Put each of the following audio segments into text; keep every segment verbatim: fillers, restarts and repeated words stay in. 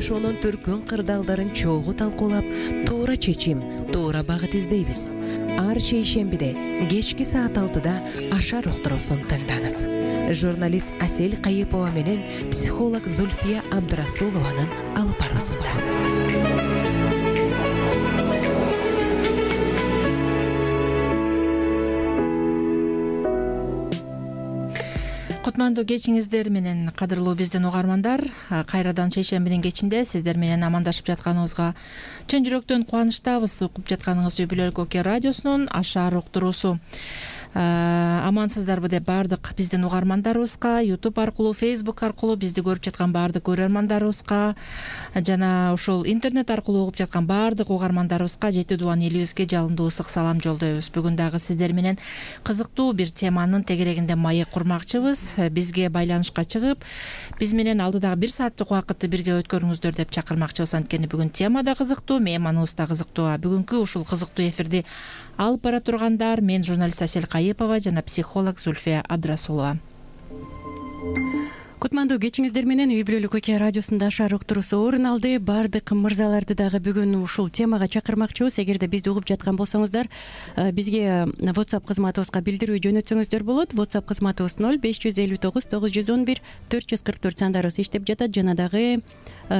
жашоонун төркүн кырдаалдарын чогуу талкуулап, туура чечим, туура багыт издейбиз. Ар шейшембиде кечки саат алтыда Ашар уктуруусун тыңдаңыз. Журналист Асель Кайыпова менен психолог Зульфия Абдрасулованын алып баруусунда. Кутмандуу кечиңиздер менен кадырлуу биздин угармандар, кайрадан шейшембинин кечинде сиздер менен амандашып жатканыбызга чын жүрөктөн кубанычтабыз. Угуп жатканыңыз Үй Бүлөлүк Оке радиосунун Ашар уктуруусу. Амансыздарбы деп баардык биздин угармандарыбызга, YouTube аркылуу, Facebook аркылуу бизди көрүп жаткан баардык көрөрмандарыбызга жана ушул интернет аркылуу угуп жаткан баардык угармандарыбызга жети дубан элибизге жалындуу ысык салам жолдойбуз. Бүгүн дагы сиздер менен кызыктуу бир теманын тегерегинде маек курмакчыбыз. Бизге байланышка чыгып, биз менен алдыдагы бир сааттык убакытты бирге өткөрүңүздөр деп чакырмакчыбыз. Анткени бүгүн тема да кызыктуу, мейманыбыз да кызыктуу. Бүгүнкү ушул кызыктуу эфирди алып бара тургандар мен журналист Асель Кайыпова жана психолог Зульфия Абдрасулова. Кутмандуу кечиңиздер менен Үй Бүлөлүк Оке радиосунда Ашар уктуруусу орун алды. Баардык мырзаларды дагы бүгүн ушул темага чакырмакчыбыз. Эгерде бизди угуп жаткан болсоңуздар, бизге WhatsApp кызматыбызга билдирүү жөнөтсөңүздөр болот. WhatsApp кызматыбыз ноль беш жүз элүү тогуз тогуз жүз он бир төрт жүз кырк төрт сандарыбыз иштеп жатат. Жана дагы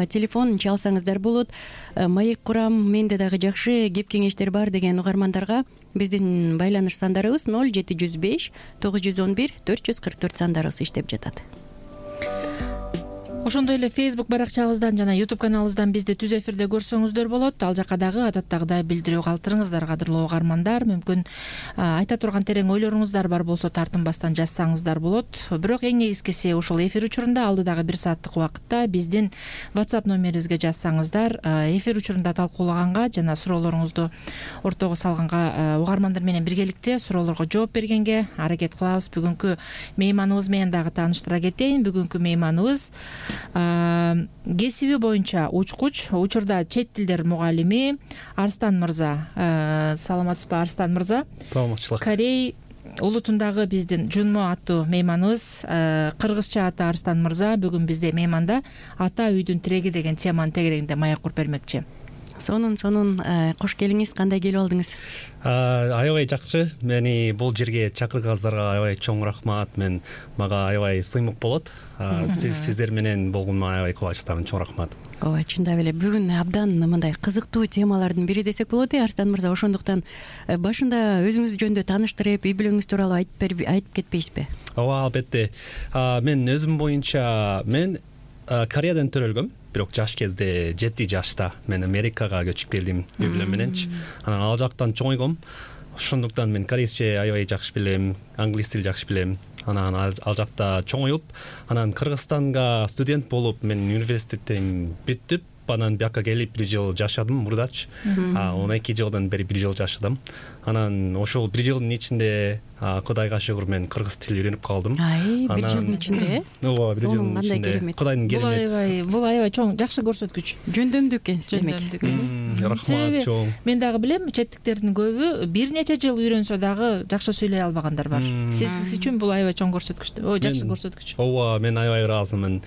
телефон чалсаңыздар болот. Маек курам, менде дагы жакшы кеп кеңештер бар деген угармандарга биздин байланыш сандарыбыз ноль жети жүз беш тогуз жүз он бир төрт жүз кырк төрт сандарыбыз иштеп жатат. Ошондой эле Facebook баракчабыздан жана YouTube каналыбыздан бизди түз эфирде көрсөңүздөр болот. Ал жака дагы адаттагыдай билдирүү калтырыңыздар, кадырлуу угармандар. Мүмкүн айта турган терең ойлоруңуздар бар болсо тартынбастан жазсаңыздар болот. Бирок эң негизгиси ушул эфир учурунда алдыдагы бир сааттык убакытта биздин WhatsApp номерибизге жазсаңыздар, эфир учурунда талкуулаганга жана суроолоруңузду ортого салганга, угармандар менен биргеликте суроолорго жооп бергенге аракет кылабыз. Бүгүнкү мейманыбыз менен дагы тааныштыра кетейин. Бүгүнкү мейманыбыз кесиби боюнча учкуч, учурда чет тилдер мугалими Арстан мырза. Саламатсызбы, Арстан мырза? Саламатчылык. Корей улутундагы биздин Жунмо аттуу мейманыбыз, кыргызча аты Арстан мырза бүгүн бизде мейманда ата үйдүн тиреги деген теманын тегерегинде маек куруп бермекчи. Сонун сонун кош келиңиз. Кандай келип алдыңыз? Аябай жакшы. Мени бул жерге чакырганыңыздарга аябай чоң рахмат. Мен мага аябай сыймык болот. Сиздер менен болгонума аябай кубанычтамын. Чоң рахмат. Ооба, чындап эле бүгүн абдан мындай кызыктуу темалардын бири десек болот э, Арстан мырза. Ошондуктан башында өзүңүз жөнүндө тааныштырып, үй бүлөңүз тууралуу айтып айтып кетпейсизби? Ооба, албетте. Мен өзүм боюнча мен Кореядан төрөлгөм. Бирок жаш кезде жети жашта мен Америкага көчүп келдим үй бүлөм мененчи. Анан ал жактан чоңойгом. Ошондуктан мен корейче аябай жакшы билем, англис тил жакшы билем. Анан ал жакта чоңоюп, анан Кыргызстанга студент болуп, мен университеттен бүттүп, анан бияка келип бир жыл жашадым мурдачы. он эки жылдан бери бир жыл жашадым. Анан ошол бир жылдын ичинде Кудайга шүгүр мен кыргыз тил үйрөнүп калдым. Ай, бир жылдын ичинде? Ооба, бир жылдын ичинде. Кудайдын керемет. Бул аябай, бул аябай чоң, жакшы көрсөткүч. Жөндөмдүү экенсиз демек. Жөндөмдүү экенсиз. Рахмат, чоң. Мен дагы билем, четтиктердин көбү бир нече жыл үйрөнсө дагы жакшы сүйлөй албагандар бар. Сиз үчүн бул аябай чоң көрсөткүч. О, жакшы көрсөткүч. Ооба, мен аябай ыраазымын.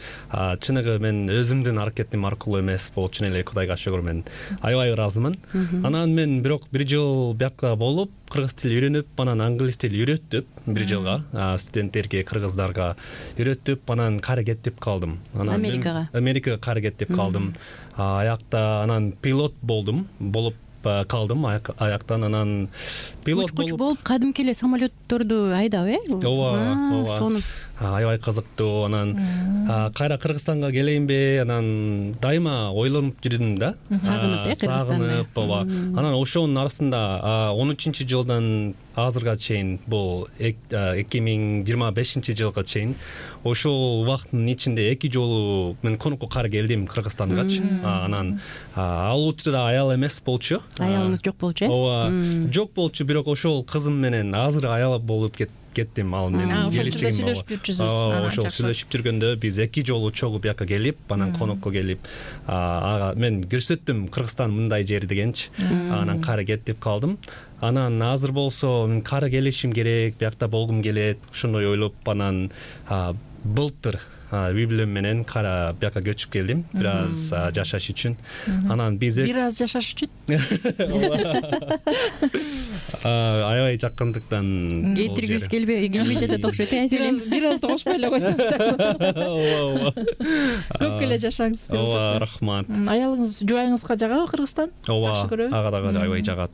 Чыныгы мен өзүмдүн аракетим аркылуу эмес, бул чын эле Кудайга шүгүр мен аябай ыраазымын. Анан мен бирок бир жыл бияка болуп, кыргыз тил үйрөнүп, анан англис тил үйрөттүп бир жылга, студенттерге, кыргыздарга үйрөттүп, анан кары кеттип калдым. Анан Америкага. Америкага кары кеттип калдым. Аякта анан пилот болдум, болуп калдым аяктан. Анан пилот болуп болуп кадимки эле самолетторду айдап, э? Ооба, ооба. Сонун. Аябай кызыктуу. Анан кайра Кыргызстанга келейинби, анан дайыма ойлонуп жүрдүм да. Сагынып, э, Кыргызстанды. Сагынып, ооба. Анан ошонун арасында он үчүнчү жылдан азырга чейин, бул эки миң жыйырма бешинчи жылга чейин ошол убакыттын ичинде эки жолу мен конокко кары келдим Кыргызстангачы. Анан ал учурда аял эмес болчу. Аялыңыз жок болчу, э? Ооба, жок болчу, бирок ошол кызым менен азыр аял болуп кет кеттим. Ал менин келечегим бар. Сүйлөшүп жүрчүсүз. Ошол сүйлөшүп жүргөндө биз эки жолу чогуу бияка келип, анан конокко келип, мен көрсөттүм Кыргызстан мындай жер дегенчи. Анан кары кеттип калдым. Анан азыр болсо мен кары келишим керек, биякта болгум келет, ошондой ойлоп, анан былтыр үй бүлөм менен кара бияка көчүп келдим бир аз жашаш үчүн. Анан биз бир аз жашаш үчүн аябай жакындыктан кетиргибиз келбей келбей жатат окшойт э бир аз кошпой эле койсоң ооба көп эле жашаңыз. ооба рахмат. Аялыңыз жубайыңызга жагабы Кыргызстан? Жакшы көрөбү? Ага дагы аябай жагат.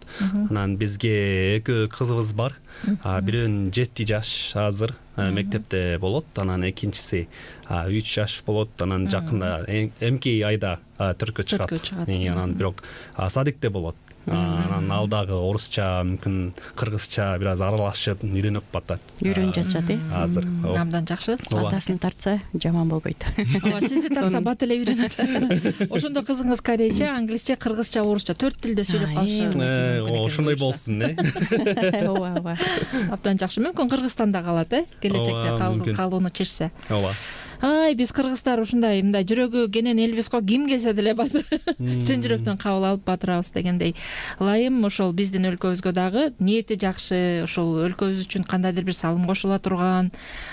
Анан бизге экөө кызыбыз бар. Бирөөнүн жети жаш азыр мектепте болот, анан экинчиси үч жаш болот. Анан жакында эмки айда төрткө чыгат. Анан бирок садикте болот. Анан ал дагы орусча, мүмкүн кыргызча бир аз аралашып үйрөнүп атат. Үйрөнүп жатышат э азыр. Абдан жакшы. Атасын тартса жаман болбойт. Ооба, сизди тартса бат эле үйрөнөт. Ошондо кызыңыз корейче, англисче, кыргызча, орусча төрт тилде сөйлөп калышы. Ошондой болсун э. Ооба, ооба. Абдан жакшы. Мүмкүн Кыргызстанда калат э, келечекте калууну чечсе. Ооба. Ай, биз кыргыздар ушундай мындай жүрөгү кенен элбиз го, ким келсе деле чын жүрөктөн кабыл алып батырабыз дегендей. Ылайым ошол биздин өлкөбүзгө дагы ниети жакшы, ошол өлкөбүз үчүн кандайдыр бир салым кошула турган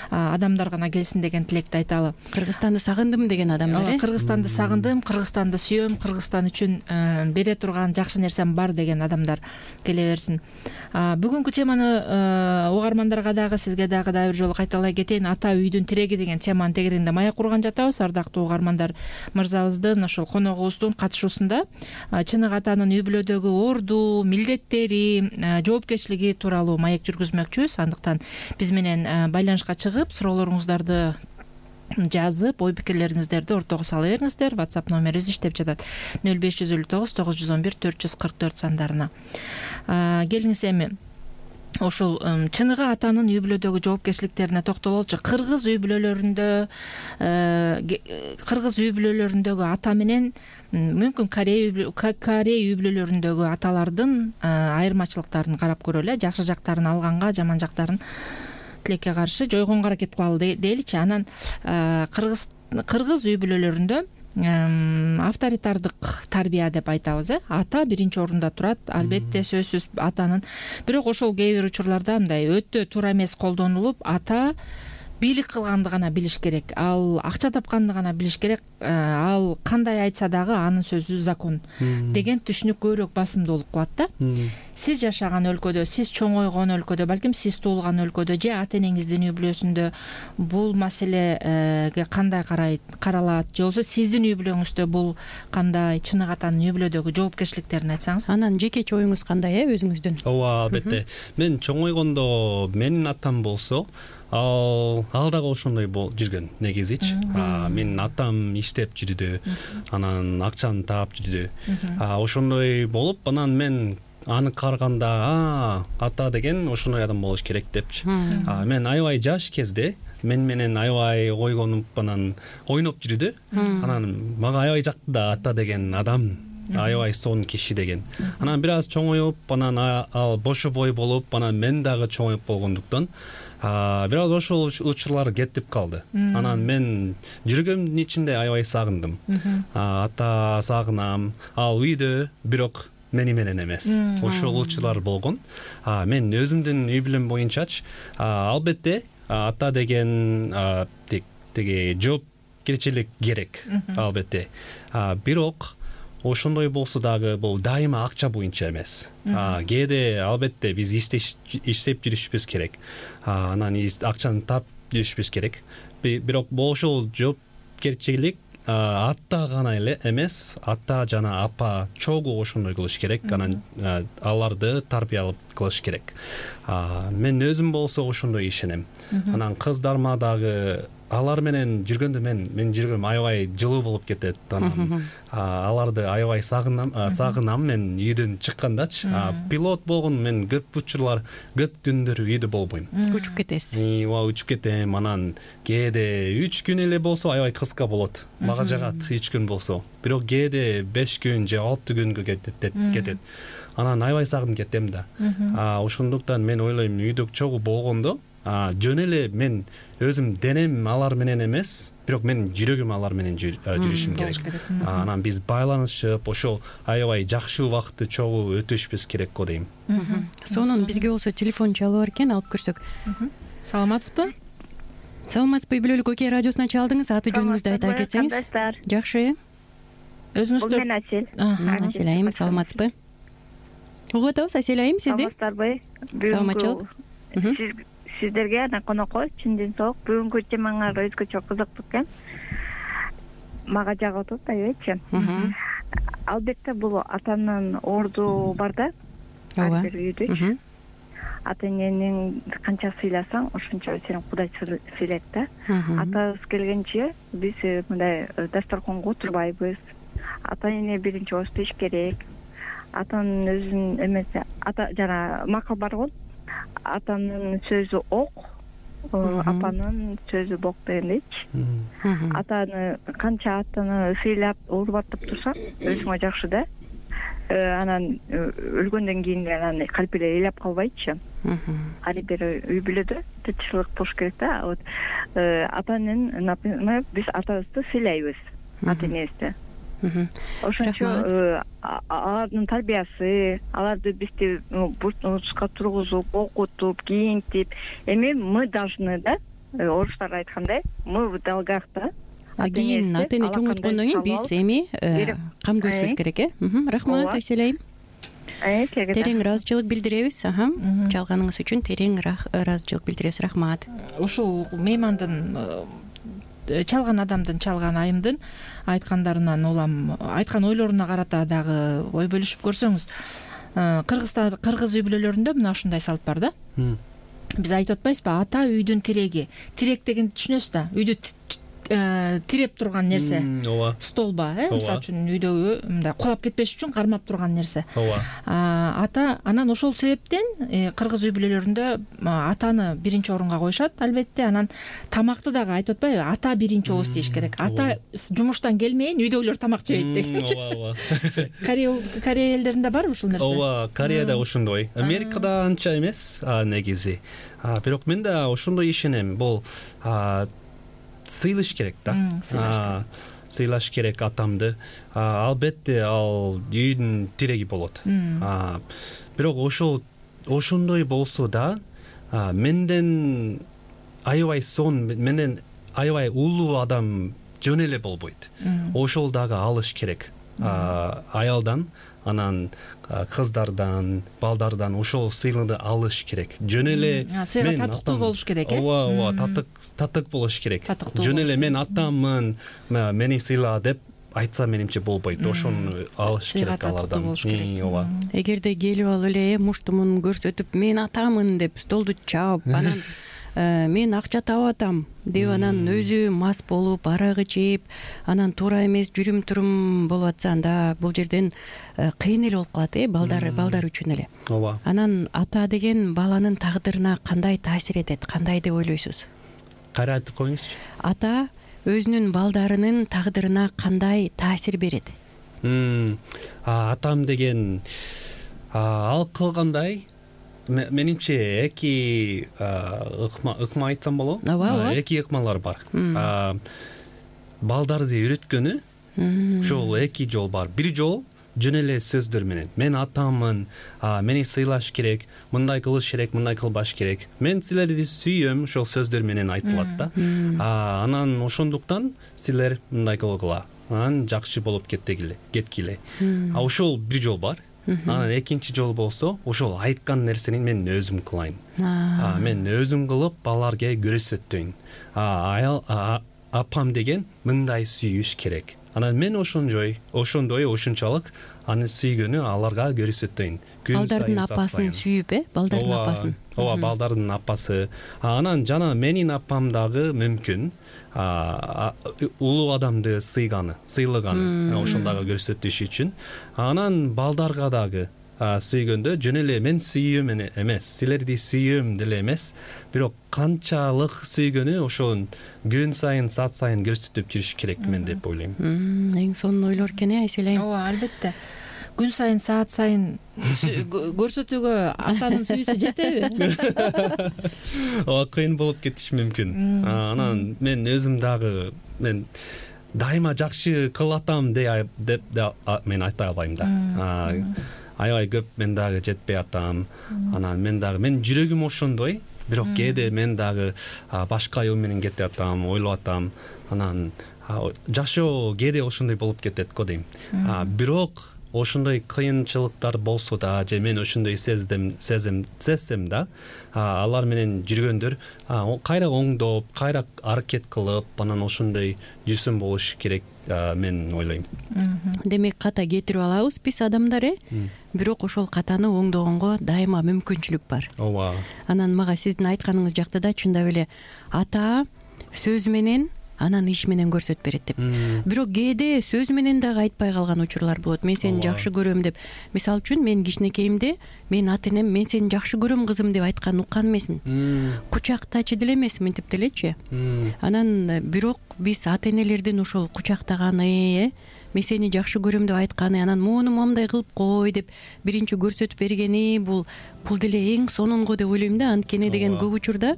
адамдар гана келсин деген тилекти айталы. Кыргызстанды сагындым деген адамдар э. Кыргызстанды сагындым, Кыргызстанды сүйөм, Кыргызстан үчүн бере турган жакшы нерсем бар деген адамдар келе берсин. Бүгүнкү теманы угармандарга дагы, сизге дагы да бир жолу кайталай кетейин. Ата үйдүн тиреги деген теманын тегерегинде маек курган жатабыз. Ардактуу угармандар, мырзабыздын ошол коногубуздун катышуусунда чыныгы атанын үй бүлөдөгү орду, милдеттери, жоопкерчилиги тууралуу маек жүргүзмөкчүбүз. Андыктан биз менен байланышка чыгып, суроолоруңуздарды жазып, ой пикирлериңиздерди ортого сала бериңиздер. WhatsApp номерибиз иштеп жатат. нөл беш жүз элүү тогуз тогуз жүз он бир төрт жүз кырк төрт сандарына. Келиңиз эми ошол чыныгы атанын үй бүлөдөгү жоопкерчиликтерине токтололчу. Кыргыз үй бүлөлөрүндө кыргыз үй бүлөлөрүндөгү ата менен мүмкүн Корей үй бүлөлөрүндөгү аталардын айырмачылыктарын карап көрөлү. Жакшы жактарын алганга, жаман жактарын тилекке каршы жойгонго аракет кылалы дейличи. Анан кыргыз кыргыз үй бүлөлөрүндө авторитардык тарбия деп айтабыз э. Ата биринчи орунда турат, албетте сөзсүз атанын. Бирок ошол кээ бир учурларда мындай өтө туура эмес колдонулуп, ата бийлик кылганды гана билиш керек, ал акча тапканды гана билиш керек, ал кандай айтса дагы анын сөзү закон деген түшүнүк көбүрөөк басымдуулук кылат да. Сиз жашаган өлкөдө, сиз чоңойгон өлкөдө, балким сиз туулган өлкөдө же ата энеңиздин үй бүлөсүндө бул маселеге кандай карайт, каралат, же болбосо сиздин үй бүлөңүздө бул кандай, чыныгы атанын үй бүлөдөгү жоопкерчиликтерин айтсаңыз. Анан жекече оюңуз кандай э өзүңүздүн? Ооба, албетте. Мен чоңойгондо менин атам болсо, ал ал дагы ошондой болуп жүргөн негизичи. Менин атам иштеп жүрдү, анан акчаны таап жүрдү. Ошондой болуп, анан мен аны караганда, ата деген ошондой адам болуш керек депчи. Мен аябай жаш кезде мен менен аябай ойгонуп, анан ойноп жүрдү. Анан мага аябай жакты да ата деген адам, аябай сонун киши деген. Анан бир аз чоңоюп, анан ал бошу бой болуп, анан мен дагы чоңоюп болгондуктан бир аз ошол учурлар кетип калды. Анан мен жүрөгүмдүн ичинде аябай сагындым. Ата сагынам. Ал үйдө, бирок мени менен эмес. Ошол учурлар болгон. Мен өзүмдүн үй бүлөм боюнчачы, албетте ата деген теги жоопкерчилик керек, албетте. Бирок ошондой болсо дагы бул дайыма акча боюнча эмес. Кээде албетте биз иштеп жүрүшүбүз керек. Анан акчаны таап жүрүшүбүз керек. Бирок ошол жоопкерчилик ата гана эле эмес, ата жана апа чогуу ошондой кылыш керек. Анан аларды тарбиялап кылыш керек. Мен өзүм болсо ошондой ишенем. Анан кыздарыма дагы алар менен жүргөндө мен мен жүргөнүм аябай жылуу болуп кетет. Анан аларды аябай сагынам, сагынам мен үйдөн чыккандачы. Пилот болгон мен көп учурлар, көп күндөр үйдө болбойм. Учуп кетесиз. Ооба, учуп кетем. Анан кээде үч күн эле болсо аябай кыска болот. Мага жагат үч күн болсо. Бирок кээде беш күн же алты күнгө кетет кетет. Анан аябай сагынып кетем да. Ошондуктан мен ойлойм, үйдө чогуу болгондо жөн эле мен өзүм денем алар менен эмес, бирок мен жүрөгүм алар менен жүрүшүм керек. Анан биз байланышып, ошол аябай жакшы убакытты чогуу өтүшүбүз керек го дейм. Сонун бизге болсо телефон чалып бар экен, алып көрсөк. Саламатсызбы? саламатсызбы? үй бүлөлүк ок радиосуна чалдыңыз. Аты жөнүңүздү айта кетсеңиз. Жакшы. Өзүңүз мен Асель. Асель айым, саламатсызбы? Угуп атабыз, Асель айым, сизди. Саламатсыздарбы? Саламатчылык. Сиздерге анан конокко чындын соок бүгүнкү темаңар өзгөчө кызыктуу экен. Мага жагып атат, айбечи. Албетте бул атанын орду бар да. Ооба. Ар бир үйдө. Ата энени канча сыйласаң, ошончо сени Кудай сыйлайт да. Атабыз келгенче биз мындай дасторконго отурбайбыз. Ата эне биринчи ооз тийиш керек. Атанын өзүнүн эмеси, ата жана макал бар го. Атанын сөзү ок, апанын сөзү бок дегендейчи. Атаны канча атаны сыйлап, урматтап турсаң, өзүңө жакшы да. Анан өлгөндөн кийин анан калп эле ыйлап калбайчы. Ар бир үй бүлөдө тынччылык болуш керек да. Вот атанын, например, биз атабызды сыйлайбыз, ата энебизди. Ошончо алардын тарбиясы, аларды бизди бурчка тургузуп, окутуп, кийинтип, эми мы должны да, орустар айткандай, мы в долгах да. Кийин ата эне чоңойткондон кийин биз эми камдөөшүбүз керек, э? Рахмат, Асель айым. Терең ыраазычылык билдиребиз. Чалганыңыз үчүн терең ыраазычылык билдиребиз. Рахмат. Ушул меймандын, чалган адамдын, чалган айымдын айткандарынан улам айткан ойлоруна карата дагы ой бөлүшүп көрсөңүз, кыргыздар кыргыз үй бүлөлөрүндө мына ушундай салт бар да. Биз айтып атпайбызбы, ата үйдүн тиреги. Тирек дегенди түшүнөсүз да, үйдү тиреп турган нерсе. Ооба. Столба, э, мисалы үчүн үйдөгү мындай кулап кетпеш үчүн кармап турган нерсе. Ооба. Ата анан ошол себептен кыргыз үй бүлөлөрүндө атаны биринчи орунга коюшат, албетте. Анан тамакты дагы айтып атпайбы, ата биринчи ооз тийиш керек. Ата жумуштан келмейин үйдөгүлөр тамак жебейт деген. Ооба, ооба. Корея элдеринде барбы ушул нерсе? Ооба, Кореяда ошондой. Америкада анча эмес, негизи. Бирок мен да ошондой ишенем. Бул сыйлаш керек да. Сыйлаш керек атамды. Албетте ал үйдүн тиреги болот. Бирок ошол ошондой болсо да, менден аябай сон, менден аябай улуу адам жөн эле болбойт. Ошол дагы алыш керек. Аялдан, анан кыздардан, балдардан ошол сыйлықты алыш керек. Жөн эле сыйга татыктуу болуш керек, э? Ооба, ооба, татык, татык болуш керек. Жөн эле мен атаммын, мени сыйла деп айтса менимче болбойт. Ошону алыш керек алардан. Ооба. Эгерде келип алып эле муштумун көрсөтүп, мен атамын деп столду чаап, анан мен акча таап атам деп анан өзү мас болуп, арак ичип, анан туура эмес жүрүм турум болуп атса, анда бул жерден кыйын эле болуп калат, э, балдар балдар үчүн эле. Ооба. Анан ата деген баланын тагдырына кандай таасир этет, кандай деп ойлойсуз? Кайра айтып коюңузчу. Ата өзүнүн балдарынын тагдырына кандай таасир берет? Атам деген ал кылгандай, менимче эки ыкма ыкма айтсам болобу? Ооба. Эки ыкмалар бар. Балдарды үйрөткөнү ошол эки жол бар. Бир жол жөн эле сөздөр менен. Мен атаммын, мени сыйлаш керек, мындай кылыш керек, мындай кылбаш керек. Мен силерди сүйөм, ошол сөздөр менен айтылат да. Анан ошондуктан силер мындай кылгыла. Анан жакшы болуп кеттегиле, кеткиле. А ошол бир жол бар. Анан экинчи жол болсо, ошол айткан нерсени мен өзүм кылайын. Мен өзүм кылып, баларга көрсөтөйүн. Аял апам деген мындай сүйүш керек. Анан мен ошондой, ошондой ошунчалык аны сүйгөнү аларга көрсөтөйүн. Балдардын апасын сүйүп, э? Балдардын апасын. Ооба, балдардын апасы. Анан жана менин апам дагы мүмкүн улуу адамды сыйганы, сыйлаганы, ошондагы көрсөтүш үчүн. Анан балдарга дагы сүйгөндө жөн эле мен сүйөм эмес, силерди сүйөм деле эмес, бирок канчалык сүйгөнү ошон күн сайын, саат сайын көрсөтүп жүрүш керек мен деп ойлойм. Эң сонун ойлор экен, э, Айсель айым? Ооба, албетте. Күн сайын, саат сайын көрсөтүүгө атанын сүйүүсү жетеби? Ооба, кыйын болуп кетиши мүмкүн. Анан мен өзүм дагы мен дайыма жакшы кылатам деп мен айта албайм да. Аябай көп мен дагы жетпей атам. Анан мен дагы мен жүрөгүм ошондой. бирок кээде мен дагы башка аюу менен кетип атам, ойлоп атам, анан жашоо кээде ошондой болуп кетет го дейм. Бирок ошондой кыйынчылыктар болсо да, же мен ошондой сездим, сезем, сезсем да, алар менен жүргөндөр кайра оңдоп, кайра аракет кылып, анан ошондой жүрсөм болуш керек, мен ойлойм. Демек ката кетирип алабыз биз адамдар, э? Бирок ошол катаны оңдогонго дайыма мүмкүнчүлүк бар. Ооба. Анан мага сиздин айтканыңыз жактыда чындап эле ата сөз менен анан иш менен көрсөтүп берет деп. Бирок кээде сөз менен дагы айтпай калган учурлар болот. Мен сени жакшы көрөм деп. Мисалы үчүн мен кичинекейимде мен ата энем мен сени жакшы көрөм кызым деп айткан уккан эмесмин. Кучактачы деле эмесмин, мынтип делечи. Анан бирок биз ата энелердин ошол кучактаганы, э мен сени жакшы көрөм деп айтканы, анан муну момундай кылып кой деп биринчи көрсөтүп бергени, бул бул деле эң сонунго деп ойлойм да. Анткени деген көп учурда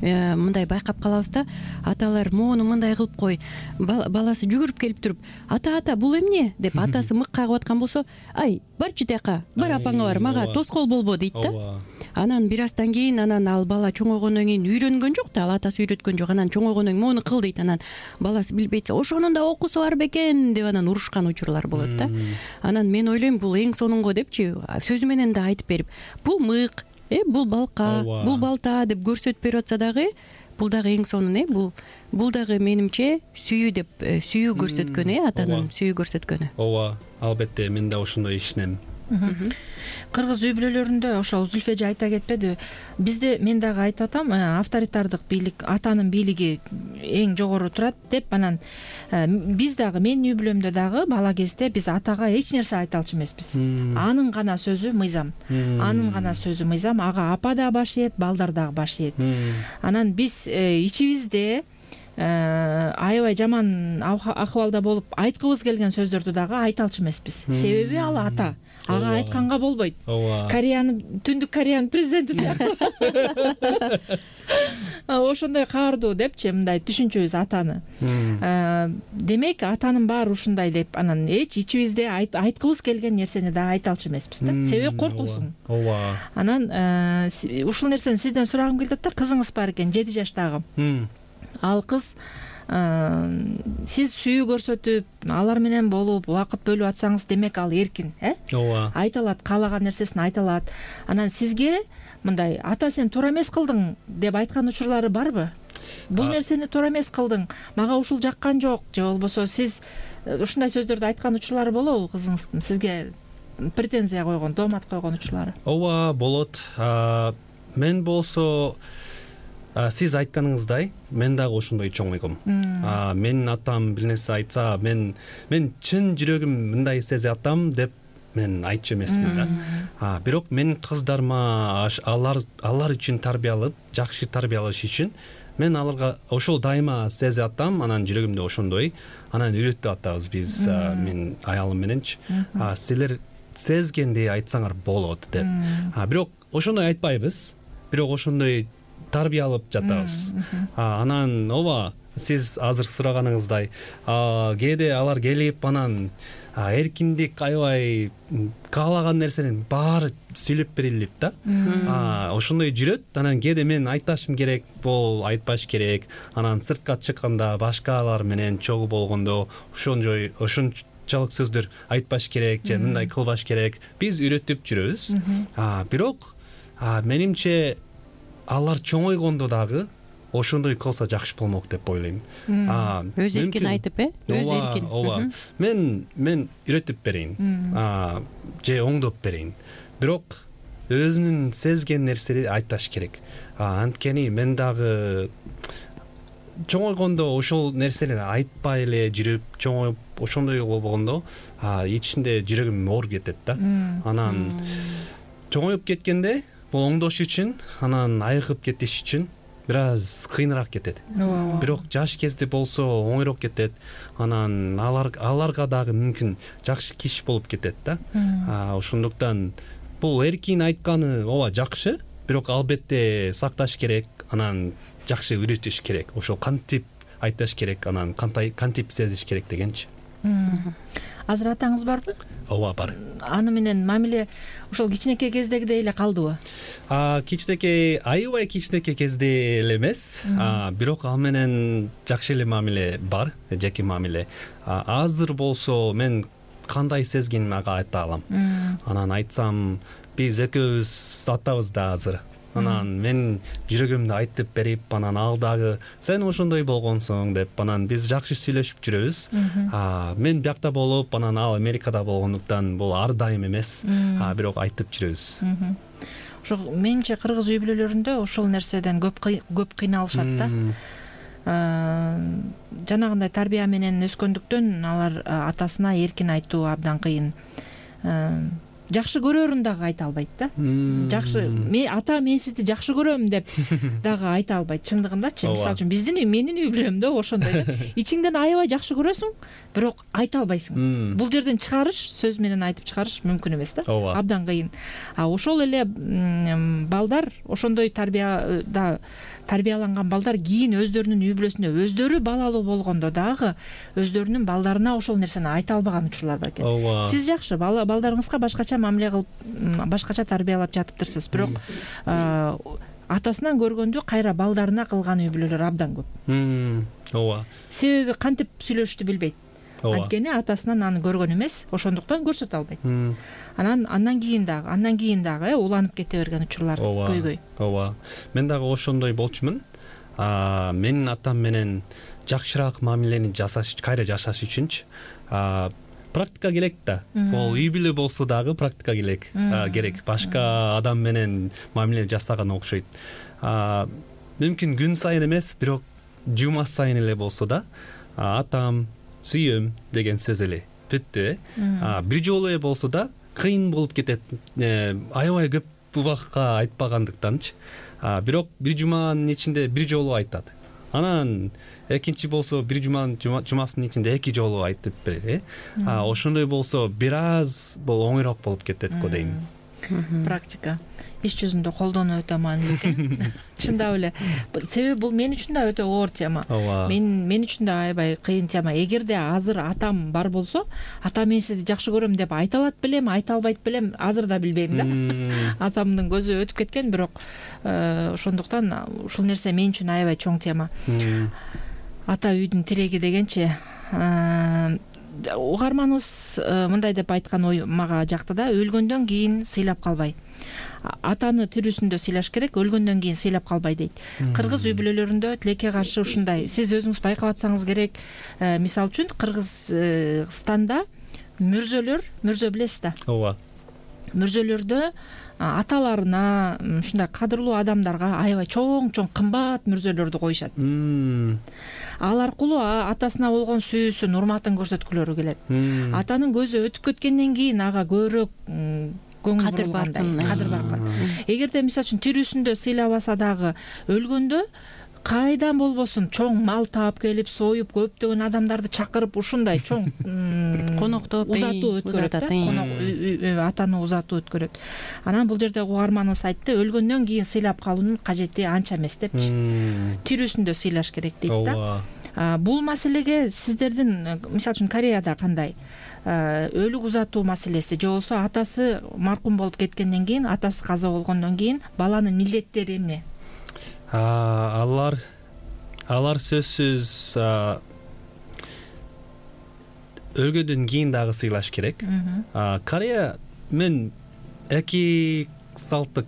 мындай байкап калабыз да, аталар моуну мындай кылып кой, баласы жүгүрүп келип туруп, ата ата бул эмне деп атасы мык кагып аткан болсо, ай барчы тияка, бар апаңа бар, мага тоскоол болбо дейт да. Анан бир аздан кийин анан ал бала чоңойгондон кийин үйрөнгөн жок да, ал атасы үйрөткөн жок, анан чоңойгондон кийин моуну кыл дейт, анан баласы билбейт, ошонун да окуусу бар бекен деп анан урушкан учурлар болот да. Анан мен ойлойм бул эң сонунго депчи, сөзү менен да айтып берип, бул мык, э бул балка, бул балта деп көрсөтүп берип атса дагы, бул дагы эң сонун, э бул бул дагы менимче сүйүү деп, сүйүү көрсөткөн, э атанын сүйүү көрсөткөнү. Ооба, албетте мен да ошондой ишенем. Кыргыз үй бүлөлөрүндө ошол Зүлфе айта кетпеди, бизде мен дагы айтып атам, авторитардык бийлик, атанын бийлиги эң жогору турат деп, анан биз дагы менин үй бүлөмдө дагы бала кезде биз атага эч нерсе айта алчу эмеспиз. Анын гана сөзү мыйзам, анын гана сөзү мыйзам, ага апа да баш ийет, балдар дагы баш ийет. Анан биз ичибизде аябай жаман акыбалда болуп айткыбыз келген сөздөрдү дагы айта алчу эмеспиз. Себеби ал ата, ага айтканга болбойт. Кореянын, Түндүк Кореянын президенти сыяктуу. Ошондой каардуу депчи, мындай түшүнчүбүз атаны. Демек атанын баары ушундай деп, анан эч ичибизде айткыбыз келген нерсени дагы айта алчу эмеспиз да. Себеби коркосуң. Ооба. Анан ушул нерсени сизден сурагым келип атат. Кызыңыз бар экен, жети жаштагы. Ал кыз сиз сүйүү көрсөтүп, алар менен болуп, убакыт бөлүп атсаңыз, демек ал эркин, э? Ооба. Айта алат, каалаган нерсесин айта алат. Анан сизге мындай ата сен туура эмес кылдың деп айткан учурлары барбы? Бул нерсени туура эмес кылдың, мага ушул жаккан жок, же болбосо сиз ушундай сөздөрдү айткан учурлары болобу кызыңыздын сизге претензия койгон, доомат койгон учурлары? Ооба, болот. Мен болсо сиз айтканыңыздай, мен дагы ошондой чоңойгом. Менин атам бир нерсе айтса, мен мен чын жүрөгүм мындай сезип атам деп мен айтчу эмесмин да. Бирок менин кыздарыма алар алар үчүн тарбиялап, жакшы тарбиялаш үчүн мен аларга ошол дайыма сезип атам, анан жүрөгүмдө ошондой, анан үйрөтүп атабыз биз мен аялым мененчи. Силер сезгендей айтсаңар болот деп. Бирок ошондой айтпайбыз. Бирок ошондой тарбиялап жатабыз. Анан ооба, сиз азыр сураганыңыздай, кээде алар келип анан эркиндик аябай каалаган нерсенин баары сүйлөп берилип да. Ошондой жүрөт. Анан кээде мен айташым керек, бул айтпаш керек. Анан сыртка чыкканда башкалар менен чогуу болгондо ошондой ошончолук сөздөр айтпаш керек, же мындай кылбаш керек. Биз үйрөтүп жүрөбүз. Бирок менимче алар чоңойгондо дагы ошондой кылса жакшы болмок деп ойлойм. Өз эркин айтып, э? Өз эркин. Ооба. Мен мен үйрөтүп берейин. Же оңдоп берейин. Бирок өзүнүн сезген нерсени айташ керек. Анткени мен дагы чоңойгондо ошол нерсени айтпай эле жүрүп, чоңоюп ошондой болгондо ичинде жүрөгүм ооруп кетет да. Анан чоңоюп кеткенде бул оңдош үчүн, анан айыгып кетиш үчүн бир аз кыйыныраак кетет. Бирок жаш кезде болсо оңойрок кетет. Анан алар аларга дагы мүмкүн жакшы киш болуп кетет да. Ошондуктан бул эркин айтканы ооба жакшы, бирок албетте сакташ керек, анан жакшы үйрөтүш керек. Ошол кантип айташ керек, анан кантип сезиш керек дегенчи. азыр атаңыз барбы? ооба, бар. Аны менен мамиле ошол кичинекей кездегидей эле калдыбы? Кичинекей, аябай кичинекей кезде эле эмес, бирок ал менен жакшы эле мамиле бар, жеке мамиле. Азыр болсо мен кандай сезгенимди ага айта алам. Анан айтсам, биз экөөбүз атабыз да азыр. Анан мен жүрөгүмдү айтып берип, анан ал дагы сен ошондой болгонсуң деп, анан биз жакшы сүйлөшүп жүрөбүз. Мен биякта болуп, анан ал Америкада болгондуктан бул ар дайым эмес, бирок айтып жүрөбүз. Ошо менимче кыргыз үй бүлөлөрүндө ошол нерседен көп көп кыйналышат да. Жанагындай тарбия менен өскөндүктөн алар атасына эркин айтуу абдан кыйын. Жакшы көрөрүн дагы айта албайт да. Жакшы, мен ата мен сизди жакшы көрөм деп дагы айта албайт чындыгындачы. Мисалы үчүн биздин менин үй бүлөмдө ошондой да. Ичиңден аябай жакшы көрөсүң, бирок айта албайсың. Бул жерден чыгарыш, сөз менен айтып чыгарыш мүмкүн эмес да. Абдан кыйын. А ошол эле балдар ошондой тарбияда тарбияланган балдар кийин өздөрүнүн үй бүлөсүндө өздөрү балалуу болгондо дагы өздөрүнүн балдарына ошол нерсени айта албаган учурлар бар экен. Сиз жакшы балдарыңызга башкача мамиле кылып, башкача тарбиялап жатыптырсыз, бирок атасынан көргөндү кайра балдарына кылган үй бүлөлөр абдан көп. Ооба. Себеби кантип сүйлөшүштү билбейт. Анткени атасынан аны көргөн эмес, ошондуктан көрсөтө албайт. Анан андан кийин дагы, андан кийин дагы уланып кете берген учурлар көйгөй. Ооба. Мен дагы ошондой болчумун. Менин атам менен жакшыраак мамилени жасаш, кайра жашаш үчүнчү практика керек да. Ол үй бүлө болсо дагы практика керек. Керек. Башка адам менен мамиле жасаган окшойт. Мүмкүн күн сайын эмес, бирок жума сайын эле болсо да, атам, сүйөм деген сөз эле. Бүттү. Бир жолу эле болсо да кыйын болуп кетет. Аябай көп убакытка айтпагандыктанчы. Бирок бир жуманын ичинде бир жолу айтат. Анан экинчи болсо бир жуманын жумасынын ичинде эки жолу айтып берет. Ошондой болсо бир аз бул оңойрок болуп кетет го дейм. Практика иш жүзүндө колдонуу өтө маанилүү экен. Чындап эле. Себеби бул мен үчүн да өтө оор тема. Мен мен үчүн да аябай кыйын тема. Эгерде азыр атам бар болсо, ата мен сизди жакшы көрөм деп айта алат белем, айта албайт белем, азыр да билбейм да. Атамдын көзү өтүп кеткен, бирок ошондуктан ушул нерсе мен үчүн аябай чоң тема. Ата үйдүн тиреги дегенчи, угарманыбыз мындай деп айткан ой мага жакты да, өлгөндөн кийин сыйлап калбай. Атаны тирүүсүндө сыйлаш керек, өлгөндөн кийин сыйлап калбай дейт. Кыргыз үй бүлөлөрүндө тилекке каршы ушундай. Сиз өзүңүз байкап атсаңыз керек. Мисалы үчүн Кыргызстанда мүрзөлөр, мүрзө билесиз да? Ооба. Мүрзөлөрдө аталарына, ушундай кадырлуу адамдарга аябай чоң-чоң кымбат мүрзөлөрдү коюшат. Ал аркылуу атасына болгон сүйүүсүн, урматын көрсөткүлөрү келет. Атанын көзү өтүп кеткенден кийин ага көбүрөөк кадыр баргандай, кадыр барган. Эгерде мисалы үчүн тирүүсүндө сыйлабаса дагы өлгөндө кайдан болбосун чоң мал таап келип, союп, көптөгөн адамдарды чакырып ушундай чоң коноктоп узатуу өткөрөт да. Конок атаны узатуу өткөрөт. Анан бул жерде угарманыбыз айтты, өлгөндөн кийин сыйлап калуунун кажети анча эмес депчи. Тирүүсүндө сыйлаш керек дейт да. Бул маселеге сиздердин, мисалы үчүн Кореяда кандай? Өлүк узатуу маселеси же болбосо атасы маркум болуп кеткенден кийин, атасы каза болгондон кийин баланын милдеттери эмне? Алар алар сөзсүз өлгөндөн кийин дагы сыйлаш керек. Корея мен эки салтты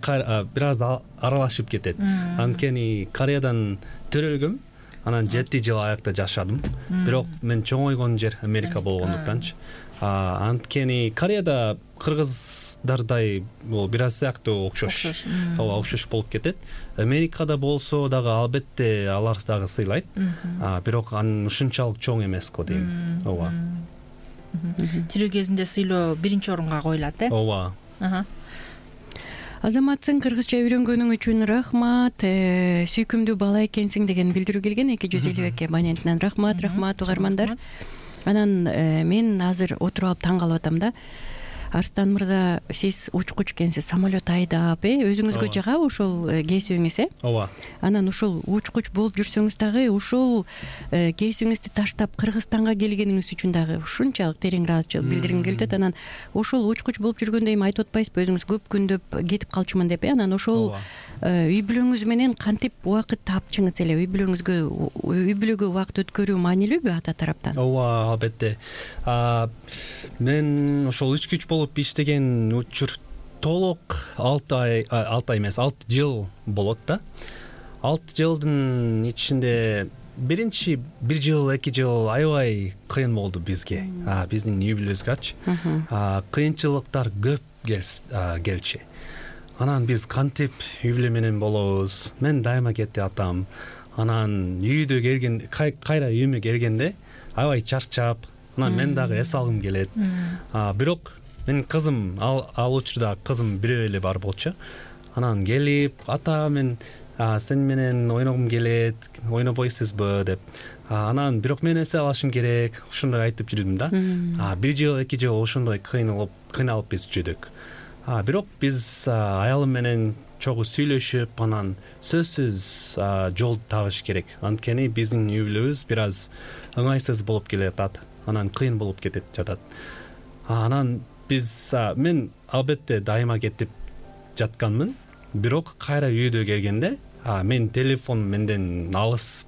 бир аз аралашып кетет. Анткени Кореядан төрөлгөм, анан жети жыл аякта жашадым. Бирок мен чоңойгон жер Америка болгондуктанчы. Анткени Кореяда кыргыздардай бул бир аз сыяктуу окшош. Ооба, окшош болуп кетет. Америкада болсо дагы албетте алар дагы сыйлайт. Бирок анын ушунчалык чоң эмес го дейм. Ооба. Тирүү кезинде сыйлоо биринчи орунга коюлат, э? Ооба. Азаматсың, кыргызча үйрөнгөнүң үчүн рахмат. Сүйкүмдүү бала экенсиң деген билдирүү келген. эки жүз элүү эки абонентинен рахмат, рахмат угармандар. Анан мен азыр отуруп алып таң калып атам да. Арстан мырза, сиз учкуч экенсиз, самолет айдап, э өзүңүзгө жагабы ушул кесибиңиз, э? ооба. Анан ушул учкуч болуп жүрсөңүз дагы ушул кесибиңизди таштап Кыргызстанга келгениңиз үчүн дагы ушунчалык терең ыраазычылык билдиргим келип атат. Анан ушул учкуч болуп жүргөндө эми айтып атпайсызбы, өзүңүз көп күндөп кетип калчумун деп, э? Анан ошол үй бүлөңүз менен кантип убакыт тапчыңыз эле? Үй бүлөңүзгө үй бүлөгө убакыт өткөрүү маанилүүбү ата тараптан? ооба, албетте. Мен ошол үч күч болуп иштеген учур толук алты ай алты ай эмес алты жыл болот да. алты жылдын ичинде биринчи бир жыл эки жыл аябай кыйын болду бизге, биздин үй бүлөбүзгөчү. Кыйынчылыктар көп келчү. Анан биз кантип үй бүлө менен болобуз? Мен дайыма кетти атам. Анан үйдө келген кайра үйүмө келгенде аябай чарчап, анан мен дагы эс алгым келет. Бирок менин кызым, ал учурда кызым бирөө эле бар болчу. Анан келип, ата мен сен менен ойногум келет, ойнобойсузбу деп. Анан бирок мен эс алышым керек, ошондой айтып жүрдүм да. Бир жыл эки жыл ошондой кыйналып кыйналып биз жүрдүк. Бирок биз аялым менен чогуу сүйлөшүп, анан сөзсүз жол табыш керек. Анткени биздин үй бүлөбүз бир аз ыңгайсыз болуп келатат. Анан кыйын болуп кетип жатат. Анан биз мен албетте дайыма кетип жатканмын. Бирок кайра үйдө келгенде мен телефон менден алыс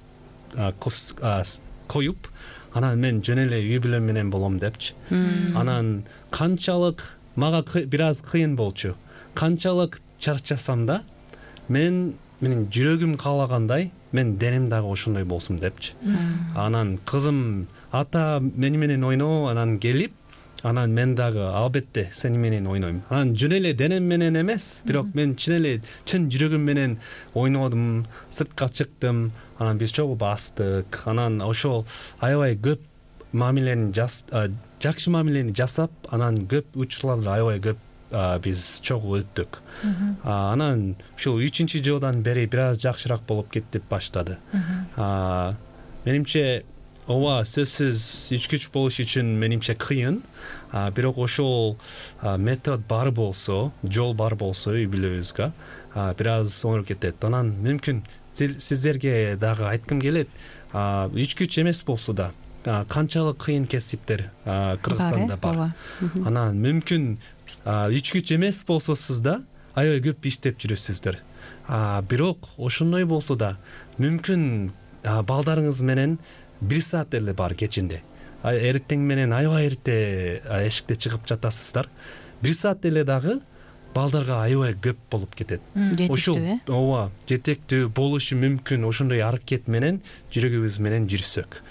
коюп, анан мен жөн эле үй бүлөм менен болом депчи. Анан канчалык мага бир аз кыйын болчу. Канчалык чарчасам да, мен менин жүрөгүм каалагандай, мен денем дагы ошондой болсун депчи. Анан кызым ата мени менен ойно, анан келип, анан мен дагы албетте сени менен ойнойм. Анан жөн эле денем менен эмес, бирок мен чын эле чын жүрөгүм менен ойнодум, сыртка чыктым. Анан биз чогуу бастык. Анан ошол аябай көп мамилени жакшы мамилени жасап, анан көп учурларды аябай көп биз чогуу өттүк. Анан ушул үчүнчү жылдан бери бир аз жакшыраак болуп кетип баштады. Менимче ооба, сөзсүз үч күч болуш үчүн менимче кыйын. Бирок ошол метод бар болсо, жол бар болсо үй бүлөбүзгө бир аз оңоп кетет. Анан мүмкүн сиздерге дагы айткым келет, үч күч эмес болсо да канчалык кыйын кесиптер Кыргызстанда бар. Анан мүмкүн үч күч эмес болсо сиз да аябай көп иштеп жүрөсүздөр. Бирок ошондой болсо да мүмкүн балдарыңыз менен бир саат эле бар кечинде. Эртең менен аябай эрте эшикте чыгып жатасыздар. Бир саат эле дагы балдарга аябай көп болуп кетет. Ошол ооба, жетектүү болушу мүмкүн. Ошондой аракет менен жүрөгүбүз менен жүрсөк.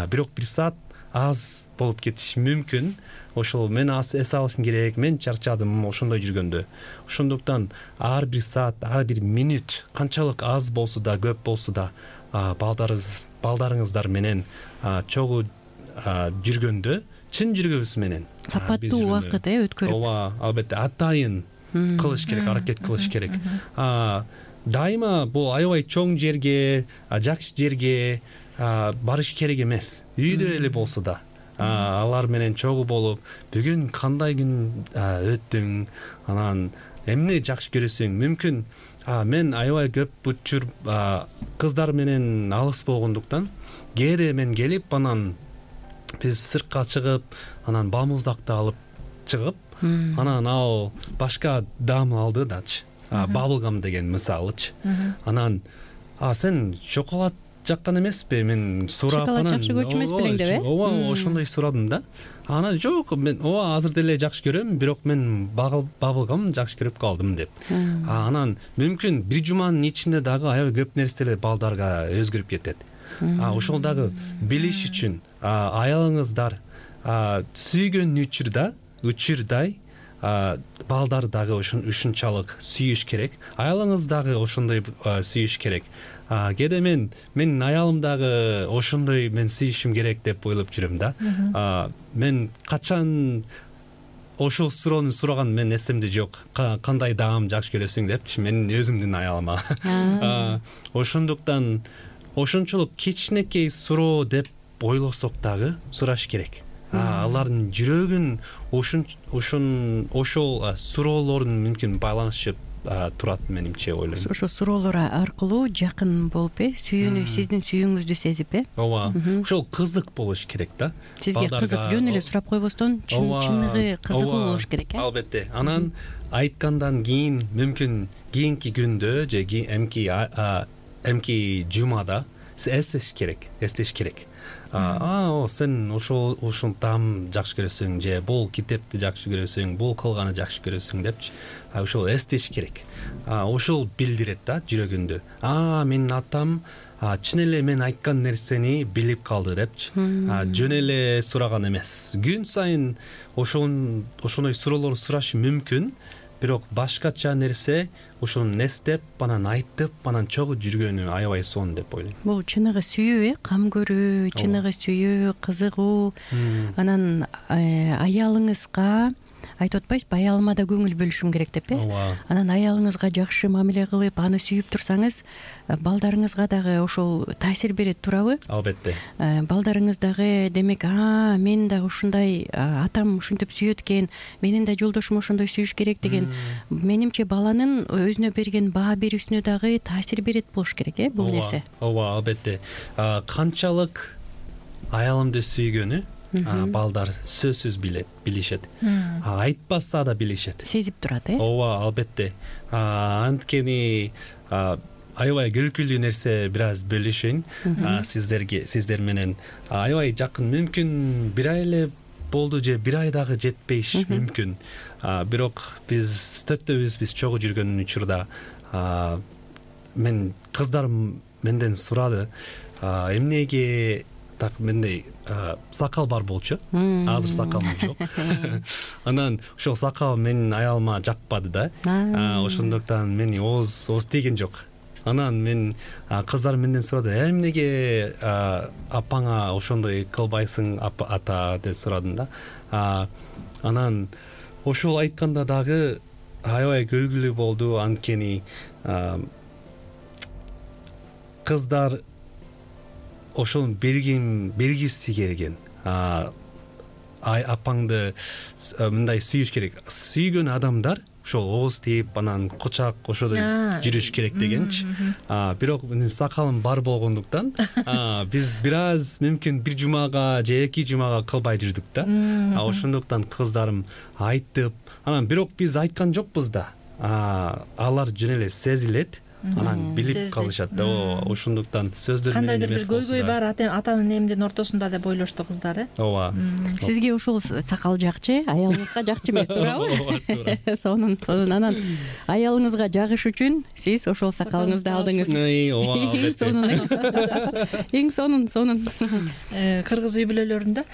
Бирок бир саат аз болуп кетиши мүмкүн. Ошол мен эс алышым керек, мен чарчадым ошондой жүргөндө. Ошондуктан ар бир саат, ар бир минут канчалык аз болсо да, көп болсо да балдарыңыз балдарыңыздар менен чогуу жүргөндө чын жүргөбүз менен сапаттуу убакыт өткөрүп, ооба, албетте атайын кылыш керек, аракет кылыш керек. Дайыма бул аябай чоң жерге, жакшы жерге барыш керек эмес. Үйдө эле болсо да алар менен чогуу болуп, бүгүн кандай күн өттүң, анан эмне жакшы көрөсүң? Мүмкүн мен аябай көп учур кыздар менен алыс болгондуктан кээде мен келип, анан биз сыртка чыгып, анан бамуздакты алып чыгып, анан ал башка дам алды дачы. Баблгам деген мисалычы. Анан сен шоколад жаккан эмеспи? Мен сурап, анан шоколад жакшы көрчү эмес белең деп, э? Ооба, ошондой сурадым да. Анан жок, мен ооба азыр деле жакшы көрөм, бирок мен баблгам жакшы көрүп калдым деп. Анан мүмкүн бир жуманын ичинде дагы аябай көп нерселер балдарга өзгөрүп кетет. Ошол дагы билиш үчүн аялыңыздар сүйгөн учурда, учурдай балдар дагы ушунчалык сүйүш керек. Аялыңыз дагы ошондой сүйүш керек. Кээде мен менин аялым дагы ошондой мен сүйүшүм керек деп ойлоп жүрөм да. Мен качан ошол суроону сураган мен эсемде жок. Кандай даам жакшы көрөсүң депчи, менин өзүмдүн аялыма. Ошондуктан ошончолук кичинекей суроо деп ойлосок дагы сураш керек. алардын жүрөгүн ушун ушун ошол суроолордун мүмкүн байланышып турат менимче ойлойм. Ошо суроолор аркылуу жакын болуп э сүйүүнү сиздин сүйүүңүздү сезип э ооба ошол кызык болуш керек да. Сизге кызык жөн эле сурап койбостон чыныгы кызыгуу болуш керек э албетте. Анан айткандан кийин мүмкүн кийинки күндө же эмки эмки жумада эстеш керек эстеш керек. А сен ошол ушул таам жакшы көрөсүң же бул китепти жакшы көрөсүң, бул кылганы жакшы көрөсүң депчи ошол эстеш керек. Ошол билдирет да жүрөгүндө. А менин атам чын эле мен айткан нерсени билип калды депчи. Жөн эле сураган эмес. Күн сайын ошон ошондой суроолор сурашы мүмкүн, бирок башкача нерсе ошону эстеп, анан айтып, анан чогуу жүргөнү аябай сонун деп ойлойм. Бул чыныгы сүйүү э кам көрүү, чыныгы сүйүү, кызыгуу. Анан аялыңызга айтып атпайсызбы, аялыма да көңүл бөлүшүм керек деп э анан аялыңызга жакшы мамиле кылып, аны сүйүп турсаңыз, балдарыңызга дагы ошол таасир берет турабы? Албетте. Балдарыңыз дагы демек, а мен да ушундай, атам ушинтип сүйөт экен, менин да жолдошум ошондой сүйүш керек деген, менимче баланын өзүнө берген баа берүүсүнө дагы таасир берет болуш керек э бул нерсе. Ооба, албетте. Канчалык аялымды сүйгөнү балдар сөзсүз билет, билишет. Айтпаса да билишет. Сезип турат э ооба, албетте. Анткени аябай күлкүлүү нерсе бир аз бөлүшөйүн сиздерге, сиздер менен. Аябай жакын, мүмкүн бир ай эле болду же бир ай дагы жетпеш мүмкүн. Бирок биз төртөөбүз биз чогуу жүргөн учурда мен кыздарым менден сурады, эмнеге так мендей сакал бар болчу. Азыр сакалым жок. Анан ошол сакал менин аялыма жакпады да. Ошондуктан мени ооз ооз тийген жок. Анан мен кыздарым менден сурады, эмнеге апаңа ошондой кылбайсың ата деп сурадым да. Анан ошол айтканда дагы аябай күлгүлүү болду, анткени кыздар ошону бергим бергиси келген. Ай апаңды мындай сүйүш керек. Сүйгөн адамдар ошол ооз тийип, анан кучак ошодой жүрүш керек дегенчи. Бирок менин сакалым бар болгондуктан биз бир аз мүмкүн бир жумага же эки жумага кылбай жүрдүк да. Ошондуктан кыздарым айтып, анан бирок биз айткан жокпуз да. Алар жөн эле сезилет. Анан билип калышат да. Ошондуктан сөздөр менен эмес. Кандайдыр бир көйгөй бар атанын эмдин ортосунда деп ойлошту кыздар э ооба. Сизге ошол сакал жакчы, аялыңызга жакчы эмес, туурабы? Сонун, сонун. Анан аялыңызга жагыш үчүн сиз ошол сакалыңызды алдыңыз. Ооба, албетте. Эң сонун, сонун. Кыргыз үй бүлөлөрүндө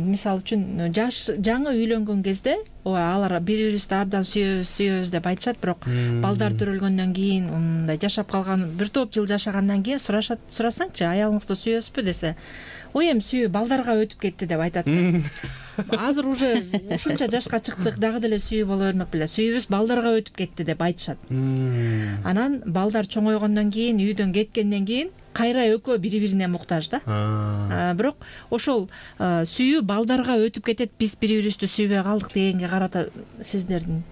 мисалы үчүн жаш жаңы үйлөнгөн кезде алар бири-бирибизди абдан сүйөбүз, сүйөбүз деп айтышат, бирок балдар төрөлгөндөн кийин, мындай жашап калган бир топ жыл жашагандан кийин сурашат, сурасаңчы, аялыңызды сүйөсүзбү десе, ой эми сүйүү балдарга өтүп кетти деп айтат. Азыр уже ушунча жашка чыктык, дагы деле сүйүү боло бермек беле. Сүйүүбүз балдарга өтүп кетти деп айтышат. Анан балдар чоңойгондон кийин, үйдөн кеткенден кийин кайра экөө бири-бирине муктаж да. Бирок ошол сүйүү балдарга өтүп кетет, биз бири-бирибизди сүйбөй калдык дегенге карата сиздердин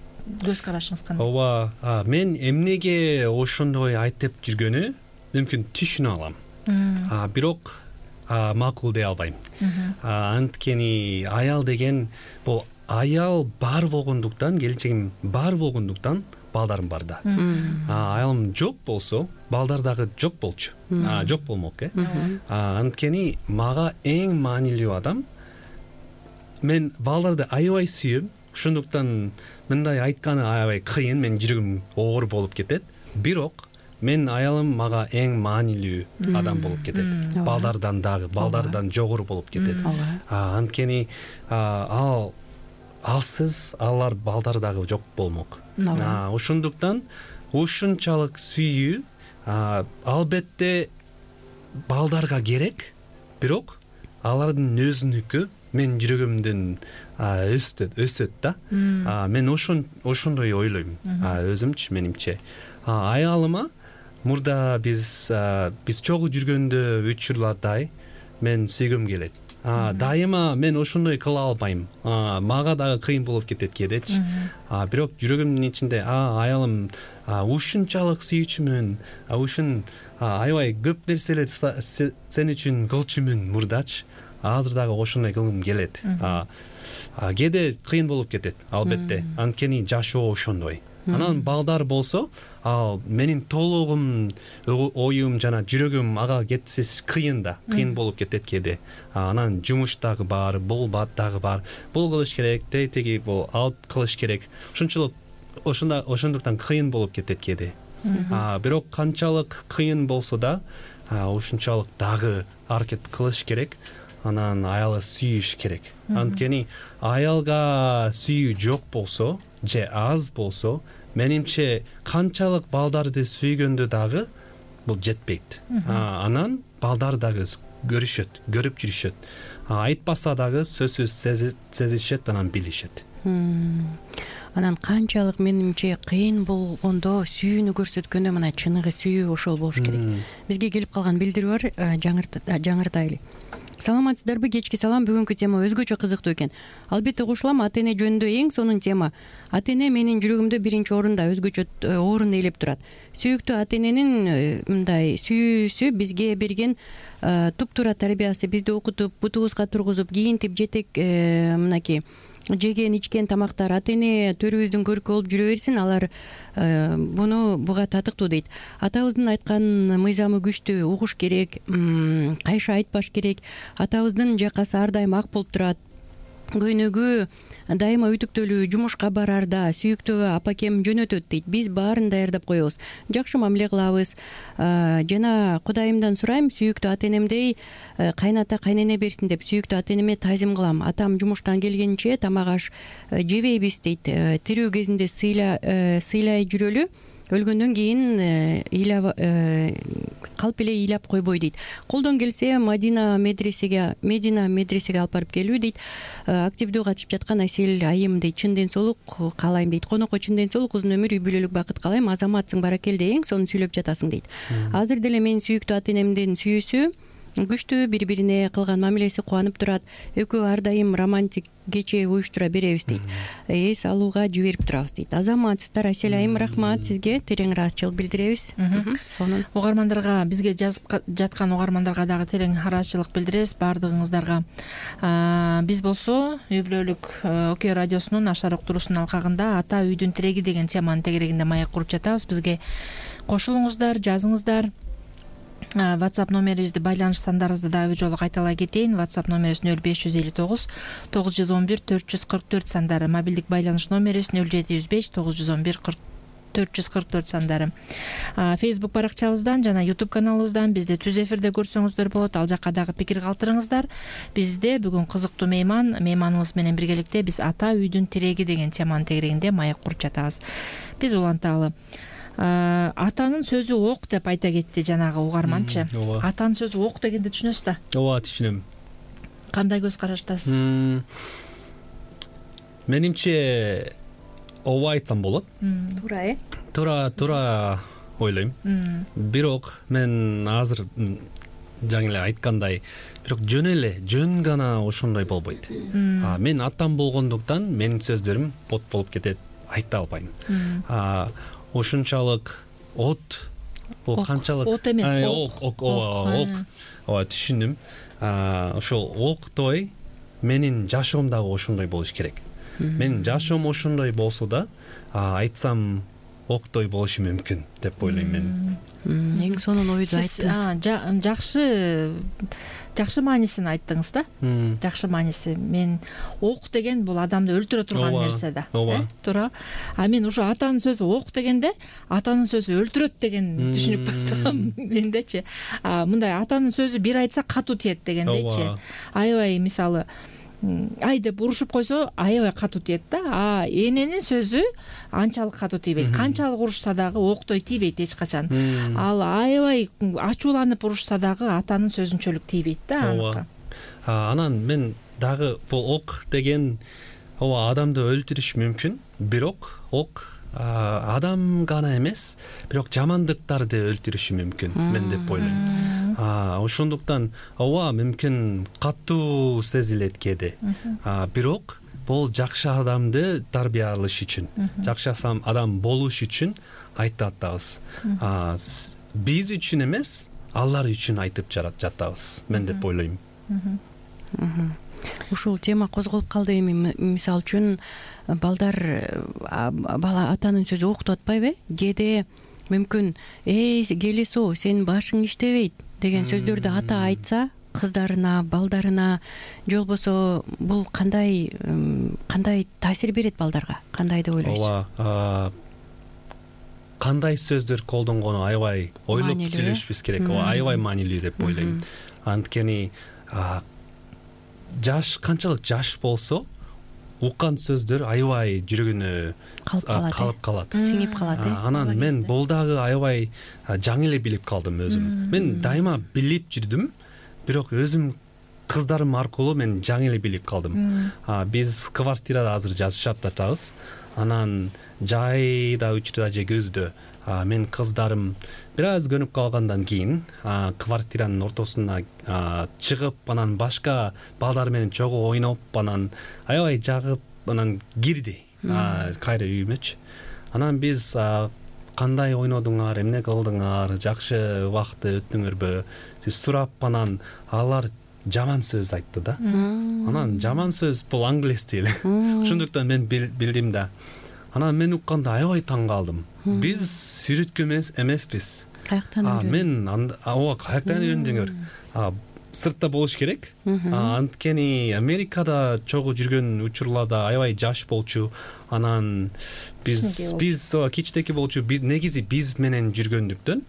көз карашыңыз кандай? Ооба, мен эмнеге ошондой айтып жүргөнү мүмкүн түшүнө алам. Бирок макул дей албайм. Анткени аял деген бул аял бар болгондуктан, келечегим бар болгондуктан балдарым бар да. Аялым жок болсо, балдар дагы жок болчу. Жок болмок э. Анткени мага эң маанилүү адам, мен балдарды аябай сүйөм. Ошондуктан мындай айтканы аябай кыйын, мен жүрөгүм оор болуп кетет. Бирок мен аялым мага эң маанилүү адам болуп кетет. Балдардан дагы, балдардан жогору болуп кетет. Анткени ал алсыз алар балдар дагы жок болмок. Ошондуктан ушунчалык сүйүү албетте балдарга керек, бирок алардын өзүнүкү мен жүрөгүмдөн өстөт, өсөт да. Мен ошон ошондой ойлойм, өзүмчү, менимче. Аялыма мурда биз биз чогуу жүргөндө учурлардай мен сүйгөм келет. дайыма мен ошондой кыла албайм, мага дагы кыйын болуп кетет кээдечи. Бирок жүрөгүмдүн ичинде аялым ушунчалык сүйүүчүмүн, ушун аябай көп нерселерди сен үчүн кылчумун мурдачы, азыр дагы ошондой кылгым келет. Кээде кыйын болуп кетет албетте, анткени жашоо ошондой. Анан балдар болсо, ал менин толугум, оюм жана жүрөгүм ага кетсес кыйын да, кыйын болуп кетет кээде. Анан жумуш дагы бар, бул бат дагы бар, бул кылыш керек, теги бул алып кылыш керек. Ошончолук ошондо ошондуктан кыйын болуп кетет кээде. Бирок канчалык кыйын болсо да, ушунчалык дагы аракет кылыш керек. Анан аялы сүйүш керек. Анткени аялга сүйүү жок болсо, же аз болсо, менимче канчалык балдарды сүйгөндө дагы бул жетпейт. Анан балдар дагы көрүшөт, көрүп жүрүшөт. Айтпаса дагы сөзсүз сезишет, анан билишет. Анан канчалык менимче кыйын болгондо сүйүүнү көрсөткөндө мына чыныгы сүйүү ошол болуш керек. Бизге келип калган билдирүү бар, жаңыртайлы. Саламатсыздарбы? Кечки салам. Бүгүнкү тема өзгөчө кызыктуу экен. Албетте кошулам. Ата-эне жөнүндө эң сонун тема. Ата-эне менин жүрөгүмдө биринчи орунда, өзгөчө орун ээлеп турат. Сүйүктүү ата-эненин мындай сүйүүсү бизге берген туп-туура тарбиясы, бизди окутуп, бутубузга тургузуп, кийинтип, жетек мынакей жеген ичкен тамактар ата-эне төрүбүздүн көркү болуп жүрө берсин, алар буну буга татыктуу дейт. Атабыздын айткан мыйзамы күчтүү, угуш керек, кайша айтпаш керек. Атабыздын жакасы ар дайым ак болуп турат. Көйнөгү дайыма үтүктөлүү, жумушка барарда сүйүктүү апакем жөнөтөт дейт. Биз баарын даярдап коебуз, жакшы мамиле кылабыз. Жана Кудайымдан сурайм, сүйүктүү ата-энемдей кайната кайнене берсин деп сүйүктүү ата-энеме таазим кылам. Атам жумуштан келгенче тамак аш жебейбиз дейт. Тирүү кезинде сыйлай жүрөлү, өлгөндөн кийин калп эле ыйлап койбой дейт. Колдон келсе Мадина медресеге Медина медресеге алып барып келүү дейт. Активдүү катышып жаткан Асел айым дейт. Чын ден соолук каалайм дейт. Конокко чын ден соолук, узун өмүр, үй бүлөлүк бакыт каалайм. Азаматсың, баракелде, эң сонун сүйлөп жатасың дейт. Азыр деле менин сүйүктүү ата-энемдин сүйүүсү күчтүү, бири бирине кылган мамилеси кубанып турат. Экөө ар дайым романтик кече уюштура беребиз дейт. Эс алууга жиберип турабыз дейт. Азаматсыздар. Асель айым, рахмат сизге, терең ыраазычылык билдиребиз. Сонун. Угармандарга, бизге жазып жаткан угармандарга дагы терең ыраазычылык билдиребиз баардыгыңыздарга. Биз болсо үй бүлөлүк Окей радиосунун Ашар уктуруусунун алкагында ата үйдүн тиреги деген теманын тегерегинде маек куруп жатабыз. Бизге кошулуңуздар, жазыңыздар. WhatsApp номерибизди, байланыш сандарыбызды дагы жолу кайталай кетейин. WhatsApp номерибиз нөл беш жүз элүү тогуз тогуз жүз он бир төрт жүз кырк төрт сандары. Мобилдик байланыш номерибиз нөл жети жүз беш тогуз жүз он бир төрт жүз кырк төрт сандары. Facebook баракчабыздан жана YouTube каналыбыздан бизди түз эфирде көрсөңүздөр болот. Ал жакка дагы пикир калтырыңыздар. Бизде бүгүн кызыктуу мейман, мейманыбыз менен биргеликте биз ата үйдүн тиреги деген теманын тегерегинде маек куруп жатабыз. Биз уланталы. Атанын сөзү ок деп айта кетти жанагы угарманчы. Атанын сөзү ок дегенди түшүнөсүз да? Ооба, түшүнөм. Кандай көз караштасыз? Менимче ооба айтсам болот. Туура, э? Туура, туура ойлойм. Бирок мен азыр жаңы эле айткандай, бирок жөн эле, жөн гана ошондой болбойт. Мен атам болгондуктан менин сөздөрүм от болуп кетет, айта албайм. Ошунчалык от, бул канчалык от эмес, ок, ок, ок, ооба, түшүндүм. Ошол октой менин жашоом дагы ошондой болуш керек. Менин жашоом ошондой болсо да, айтсам октой болушу мүмкүн деп ойлойм мен. Эң сонун ойду айттыңыз. Жакшы жакшы маанисин айттыңыз да. Жакшы мааниси. Мен ок деген бул адамды өлтүрө турган нерсе да. Туура. А мен ушу атанын сөзү ок дегенде, атанын сөзү өлтүрөт деген түшүнүп калдым мендечи. Мындай атанын сөзү бир айтса катуу тиет дегендечи. Аябай мисалы ай деп урушуп койсо аябай катуу тиет да. А эненин сөзү анчалык катуу тийбейт. Канчалык урушса дагы октой тийбейт эч качан. Ал аябай ачууланып урушса дагы атанын сөзүнчөлүк тийбейт да. Ооба. Анан мен дагы бул ок деген ооба адамды өлтүрүш мүмкүн, бирок ок адам гана эмес, бирок жамандыктарды өлтүрүшү мүмкүн, мен деп ойлойм. ошондуктан ооба мүмкүн катуу сезилет кээде, бирок бул жакшы адамды тарбиялаш үчүн, жакшы адам болуш үчүн айтып атабыз. Биз үчүн эмес, алар үчүн айтып жатабыз, мен деп ойлойм. Ушул тема козголуп калды. Эми мисалы үчүн балдар бала атанын сөзү уктуп атпайбы? Кээде мүмкүн эй келесо сенин башың иштебейт деген сөздөрдү ата айтса кыздарына, балдарына, же болбосо бул кандай кандай таасир берет балдарга? Кандай деп ойлойсуз? Ооба, кандай сөздөр колдонгону аябай ойлоп сүйлөшүбүз керек. Ооба, аябай маанилүү деп ойлойм. Анткени жаш канчалык жаш болсо уккан сөздөр аябай жүрөгүнө калып калат, сиңип калат. Анан мен бул дагы аябай жаңы эле билип калдым өзүм. Мен дайыма билип жүрдүм, бирок өзүм кыздарым аркылуу мен жаңы эле билип калдым. Биз квартирада азыр жашап жатабыз. Анан жайда, учурда же көздө мен кыздарым бир аз көнүп калгандан кийин квартиранын ортосуна чыгып, анан башка балдар менен чогуу ойноп, анан аябай жагып, анан кирди кайра үйүмөчү. Анан биз кандай ойнодуңар, эмне кылдыңар, жакшы убакытты өттүңөрбү сурап, анан алар жаман сөз айтты да. Анан жаман сөз бул англис тили. Ошондуктан мен билдим да. Анан мен укканда аябай таң калдым. Биз үйрөткөн эмеспиз. Каяктан үйрөндүң? Мен ооба, каяктан үйрөндүңөр? Сыртта болуш керек. Анткени Америкада чогуу жүргөн учурларда аябай жаш болчу. Анан биз биз кичтеки болчу. Биз негизи биз менен жүргөндүктөн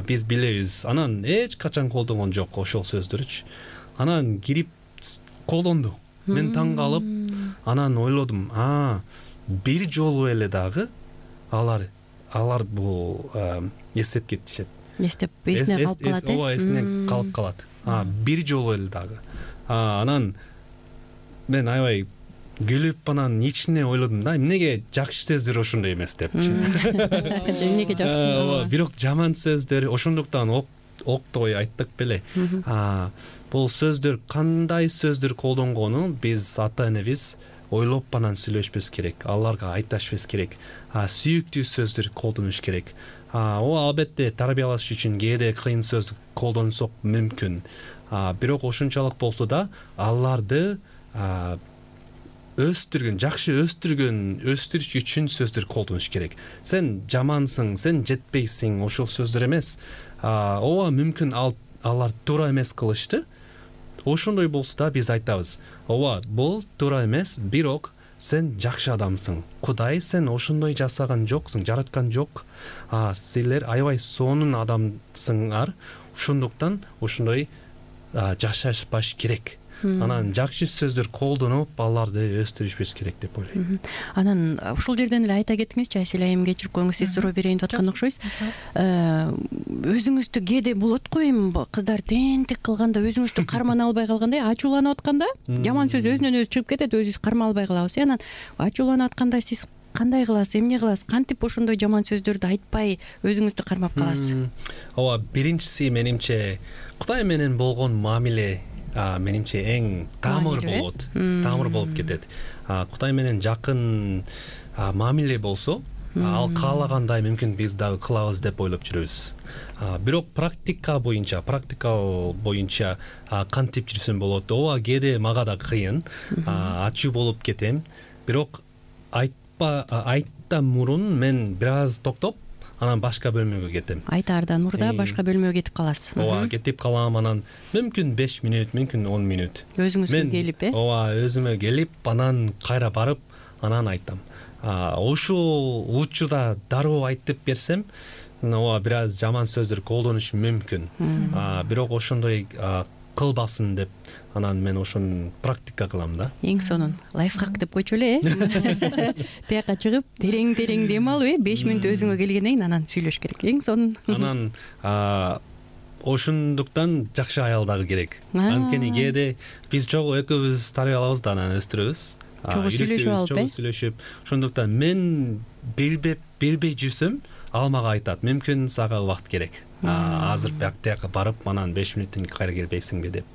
биз билебиз. Анан эч качан колдонгон жок ошол сөздөрчү. Анан кирип колдонду. Мен таң калып, анан ойлодум, а бир жолу эле дагы алар алар бул эстеп кетишет. Эстеп эсине калып калат. Ооба, эсине калып калат. Бир жолу эле дагы. Анан мен аябай күлүп, анан ичине ойлодум да, эмнеге жакшы сөздөр ошондой эмес депчи. Эмнеге жакшы? Ооба, бирок жаман сөздөр ошондуктан октой айттык беле. Бул сөздөр, кандай сөздөр колдонгону биз ата энебиз ойлоп анан сүйлөшпөс керек, аларга айташпыз керек, сүйүктүү сөздөр колдонуш керек. Ооба, албетте тарбиялаш үчүн кээде кыйын сөз колдонсок мүмкүн, бирок ошончолук болсо да аларды өстүргөн, жакшы өстүргөн, өстүрүш үчүн сөздөр колдонуш керек. Сен жамансың, сен жетпейсиң, ошол сөздөр эмес. Ооба, мүмкүн алар туура эмес кылышты. Ошондой болсо да биз айтабыз, ооба, бул туура эмес, бирок сен жакшы адамсың. Кудай сен ошондой жасаган жоксуң, жараткан жок. Силер аябай сонун адамсыңар. Ошондуктан ошондой жашашпаш керек. Анан жакшы сөздөр колдонуп, аларды өстүрүшүбүз керек деп ойлойм. Анан ушул жерден эле айта кетиңизчи, Айсель айым, кечирип коюңуз, сиз суроо берейин деп аткан окшойсуз. Өзүңүздү кээде болот го, эми кыздар тентик кылганда өзүңүздү кармана албай калганда, ачууланып атканда жаман сөз өзүнөн өзү чыгып кетет, өзүбүз кармай албай калабыз. Анан ачууланып атканда сиз кандай кыласыз, эмне кыласыз? Кантип ошондой жаман сөздөрдү айтпай өзүңүздү кармап каласыз? Ооба, биринчиси менимче Кудай менен болгон мамиле менимче эң тамыр болот, тамыр болуп кетет. Кудай менен жакын мамиле болсо, ал каалагандай мүмкүн биз дагы кылабыз деп ойлоп жүрөбүз. Бирок практика боюнча, практикал боюнча кантип жүрсөм болот? Ооба, кээде мага да кыйын, ачуу болуп кетем. Бирок айтпа айттан мурун мен бир аз токтоп, анан башка бөлмөгө кетем. Айтаардан мурда башка бөлмөгө кетип каласыз. Ооба, кетип калам, анан мүмкүн беш мүнөт, мүмкүн он мүнөт. Өзүңүзгө келип, э? Ооба, өзүмө келип, анан кайра барып, анан айтам. Ошол учурда дароо айтып берсем, ооба, бир аз жаман сөздөр колдонуш мүмкүн. Бирок ошондой кылбасын деп, анан мен ошону практика кылам да. Эң сонун лайфхак деп койчу эле, э? Тияка чыгып, терең-терең дем алып, э, беш мүнөт өзүңө келгенден кийин анан сүйлөш керек. Эң сонун. Анан ошондуктан жакшы аял дагы керек. Анткени кээде биз чогуу экөөбүз тарбиялабыз да, анан өстүрөбүз. Чогуу сүйлөшүп алып, э? Чогуу сүйлөшүп. Ошондуктан мен билбеп, билбей жүрсөм, ал мага айтат, мүмкүн сага убакыт керек, азыр бактияка барып анан беш мүнөттөн кийин кайра келбейсиңби деп.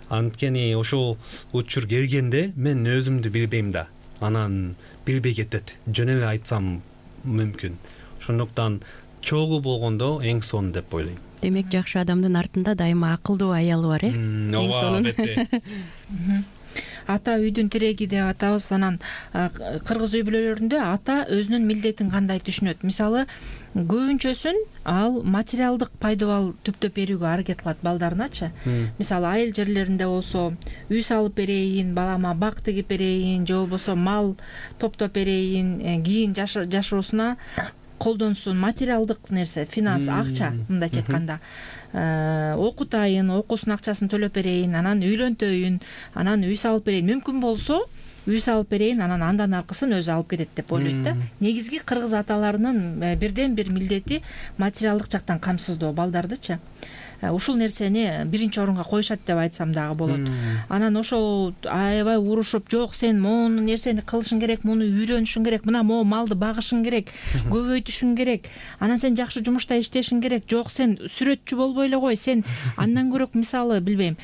Анткени ошол учур келгенде мен өзүмдү билбейм да, анан билбей кетет, жөн эле айтсам мүмкүн. Ошондуктан чогуу болгондо эң сонун деп ойлойм. Демек жакшы адамдын артында дайыма акылдуу аялы бар, э? Ооба, албетте. Ата үйдүн тиреги деп атабыз. Анан кыргыз үй бүлөлөрүндө ата өзүнүн милдетин кандай түшүнөт? Мисалы, көбүнчөсүн ал материалдык пайдабал түптөп берүүгө аракет кылат балдарыначы. Мисалы, айыл жерлеринде болсо үй салып берейин, балама бак тигип берейин, же болбосо мал топтоп берейин, кийин жашоосуна колдонсун, материалдык нерсе, финанс, акча, мындайча айтканда. Окутайын, окуусунун акчасын төлөп берейин, анан үйлөнтөйүн, анан үй салып берейин. Мүмкүн болсо үй салып берейин, анан андан аркысын өзү алып кетет деп ойлойт да. Негизги кыргыз аталарынын бирден бир милдети материалдык жактан камсыздоо балдардычы. Ушул нерсени биринчи орунга коюшат деп айтсам дагы болот. Анан ошол аябай урушуп, жок сен могу нерсени кылышың керек, муну үйрөнүшүң керек, мына могу малды багышың керек, көбөйтүшүң керек, анан сен жакшы жумушта иштешиң керек, жок сен сүрөтчү болбой эле кой, сен андан көрөк мисалы билбейм,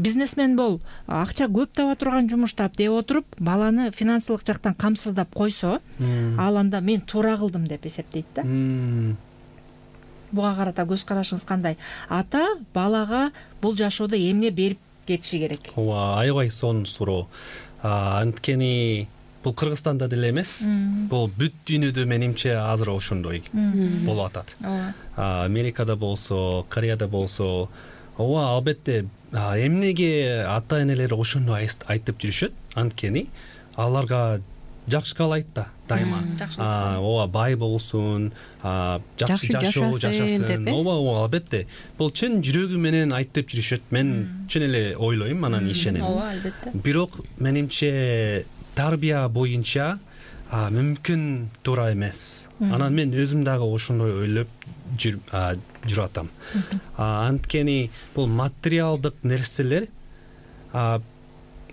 бизнесмен бол, акча көп таба турган жумуш тап деп отуруп, баланы финансылык жактан камсыздап койсо, ал анда мен туура кылдым деп эсептейт да. Буга карата көз карашыңыз кандай? Ата балага бул жашоодо эмне берип кетиши керек? Ооба, аябай сонун суроо. Анткени бул Кыргызстанда деле эмес, бул бүт дүйнөдө менимче азыр ошондой болуп атат. Америкада болсо, Кореяда болсо, ооба, албетте эмнеге ата энелер ошондой айтып жүрүшөт? Анткени аларга жакшы каалайт да дайыма. Ооба, бай болсун, жакшы жашоо жашасын. Ооба, ооба, албетте. Бул чын жүрөгү менен айтып жүрүшөт. Мен чын эле ойлойм, анан ишенем. Ооба, албетте. Бирок менимче тарбия боюнча мүмкүн туура эмес. Анан мен өзүм дагы ошондой ойлоп жүрүп атам. Анткени бул материалдык нерселер,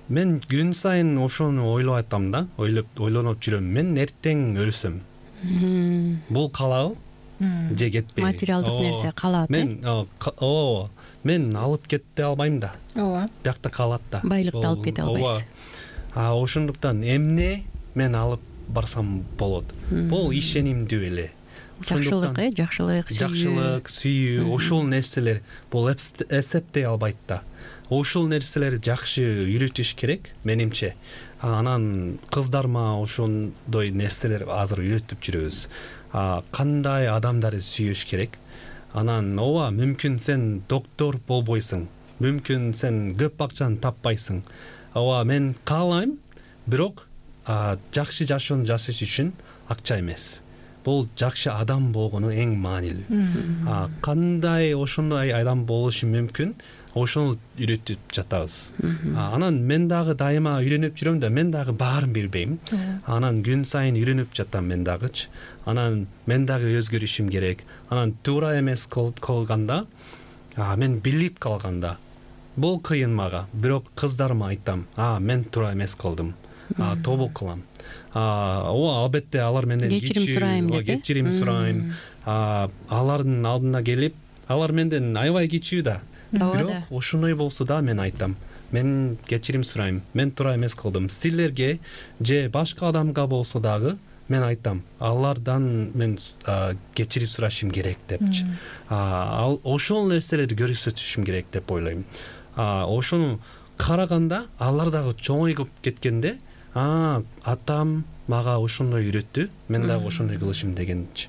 мен күн сайын ошону ойлоп атам да, ойлоп ойлонуп жүрөм. Мен эртең өлсөм, бул калабы же кетпейби? Материалдык нерсе калат. Мен ооба, мен алып кете албайм да. Ооба. Биякта калат да. Байлыкты алып кете албайсыз. А ошондуктан эмне мен алып барсам болот? Бул ишенимдүү эле. Жакшылык, э, жакшылык, сүйүү. Жакшылык, сүйүү, ошол нерселер бул эсептей албайт да. Ошол нерселер жакшы үйрөтүш керек менимче. Анан кыздарыма ошондой нерселер азыр үйрөтүп жүрөбүз. Кандай адамдарды сүйүш керек. Анан ооба, мүмкүн сен доктор болбойсуң, мүмкүн сен көп акчаны таппайсың. Ооба, мен каалайм, бирок жакшы жашоону жашаш үчүн акча эмес. Бул жакшы адам болгону эң маанилүү. Кандай ошондой адам болушу мүмкүн, ошону үйрөтүп жатабыз. Анан мен дагы дайыма үйрөнүп жүрөм да, мен дагы баарын билбейм. Анан күн сайын үйрөнүп жатам мен дагычы. Анан мен дагы өзгөрүшүм керек. Анан туура эмес кылганда, мен билип калганда, бул кыйын мага. Бирок кыздарыма айтам, а мен туура эмес кылдым. Тобо кылам. Ооба, албетте алар менден кечирим сурайм деп, кечирим сурайм. Алардын алдына келип, алар менден аябай кичүү да. Бирок ошондой болсо да мен айтам, мен кечирим сурайм, мен туура эмес кылдым. Силерге же башка адамга болсо дагы мен айтам, алардан мен кечирим сурашым керек депчи. Ал ошол нерселерди көрсөтүшүм керек деп ойлойм. Ошону караганда алар дагы чоңоюп кеткенде, а атам мага ошондой үйрөттү, мен дагы ошондой кылышым дегенчи.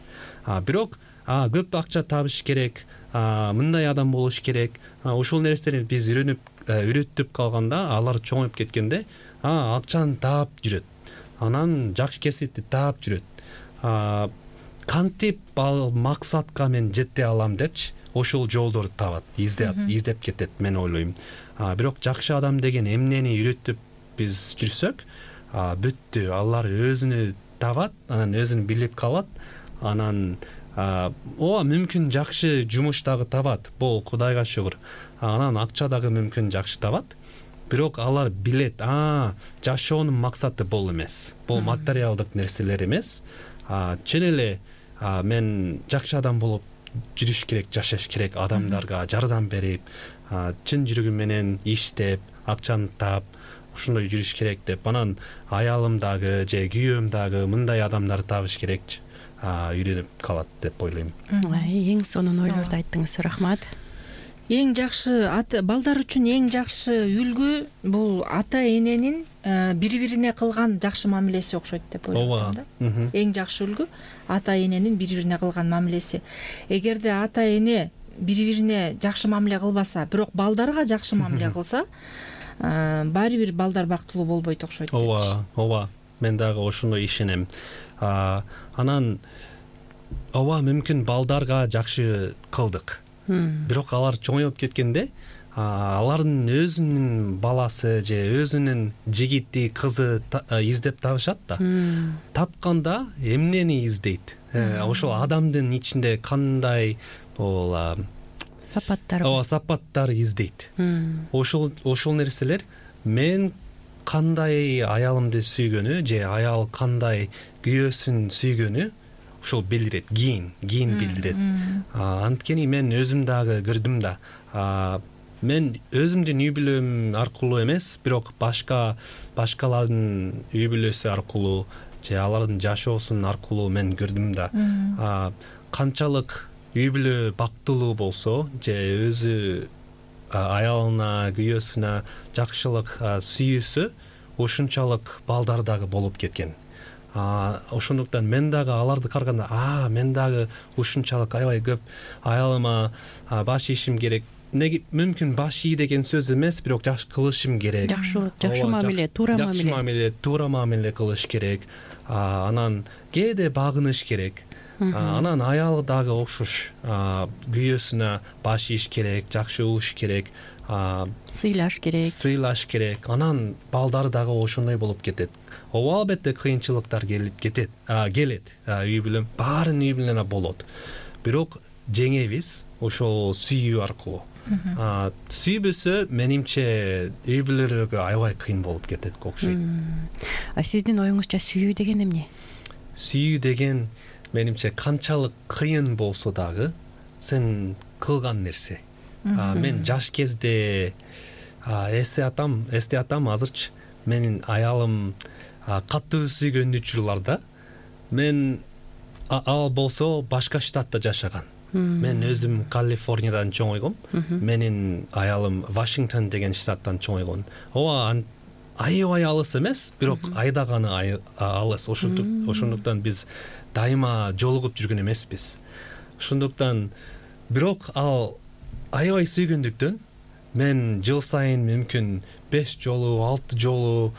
Бирок көп акча табыш керек, мындай адам болуш керек. Ошол нерсени биз үйрөнүп үйрөтүп калганда, алар чоңоюп кеткенде, акчаны таап жүрөт. Анан жакшы кесипти таап жүрөт. Кантип ал максатка мен жете алам депчи, ошол жолдорду табат, издеп, издеп кетет, мен ойлойм. Бирок жакшы адам деген эмнени үйрөтүп биз жүрсөк, бүттү, алар өзүнү табат, анан өзүн билип калат, анан ооба, мүмкүн жакшы жумуш дагы табат, бул Кудайга шүгүр. Анан акча дагы мүмкүн жакшы табат. Бирок алар билет, а жашоонун максаты бул эмес. Бул материалдык нерселер эмес. Чын эле мен жакшы адам болуп жүрүш керек, жашаш керек, адамдарга жардам берип, чын жүрөгүм менен иштеп, акчаны таап ушундай жүрүш керек деп, анан аялым дагы же күйөөм дагы мындай адамдарды табыш керекчи, үйрөнүп калат деп ойлойм. Эң сонун ойлорду айттыңыз, рахмат. Эң жакшы балдар үчүн эң жакшы үлгү бул ата эненин бири-бирине кылган жакшы мамилеси окшойт деп ойлойм да. Эң жакшы үлгү ата эненин бири-бирине кылган мамилеси. Эгерде ата эне бири-бирине жакшы мамиле кылбаса, бирок балдарга жакшы мамиле кылса, баары бир балдар бактылуу болбойт окшойт. Ооба, ооба. Мен дагы ошондой ишенем. Анан ооба, мүмкүн балдарга жакшы кылдык. Бирок алар чоңоюп кеткенде, алардын өзүнүн баласы же өзүнүн жигити, кызы издеп табышат да. Тапканда эмнени издейт? Ошол адамдын ичинде кандай бул сапаттар ооба сапаттар издейт. Ошол ошол нерселер мен кандай аялымды сүйгөнү же аял кандай күйөөсүн сүйгөнү ошол билдирет, кийин кийин билдирет. Анткени мен өзүм дагы көрдүм да. Мен өзүмдүн үй бүлөм аркылуу эмес, бирок башка башкалардын үй бүлөсү аркылуу же алардын жашоосун аркылуу мен көрдүм да. Канчалык үй бүлө бактылуу болсо же өзү аялына, күйөөсүнө жакшылык сүйүүсө, ошунчалык балдар дагы болуп кеткен. Ошондуктан мен дагы аларды караганда, а мен дагы ушунчалык аябай көп аялыма баш ийишим керек. Неге мүмкүн баш ий деген сөз эмес, бирок жакшы кылышым керек. Жакшылык, жакшы мамиле, туура мамиле. Жакшы мамиле, туура мамиле кылыш керек. Анан кээде багыныш керек. Анан аял дагы окшош, күйөөсүнө баш ийиш керек, жакшы болуш керек, сыйлаш керек. Сыйлаш керек. Анан балдар дагы ошондой болуп кетет. Ооба, албетте кыйынчылыктар келет, кетет, келет. Үй бүлө, баарын үй бүлөнө болот. Бирок жеңебиз ошол сүйүү аркылуу. Сүйбөсө, менимче үй бүлөлөргө аябай кыйын болуп кетет окшойт. А сиздин оюңузча сүйүү деген эмне? Сүйүү деген менимче канчалык кыйын болсо дагы сен кылган нерсе. Мен жаш кезде эсте атам, эсте атам азырчы менин аялым катуу сүйгөн учурларда мен ал болсо башка штатта жашаган. Мен өзүм Калифорниядан чоңойгом. Менин аялым Вашингтон деген штаттан чоңойгон. Ооба, аябай алыс эмес, бирок айдаганы алыс. Ошондуктан биз дайыма жолугуп жүргөн эмеспиз. Ошондуктан бирок ал аябай сүйгөндүктөн мен жыл сайын мүмкүн беш жолу, алты жолу,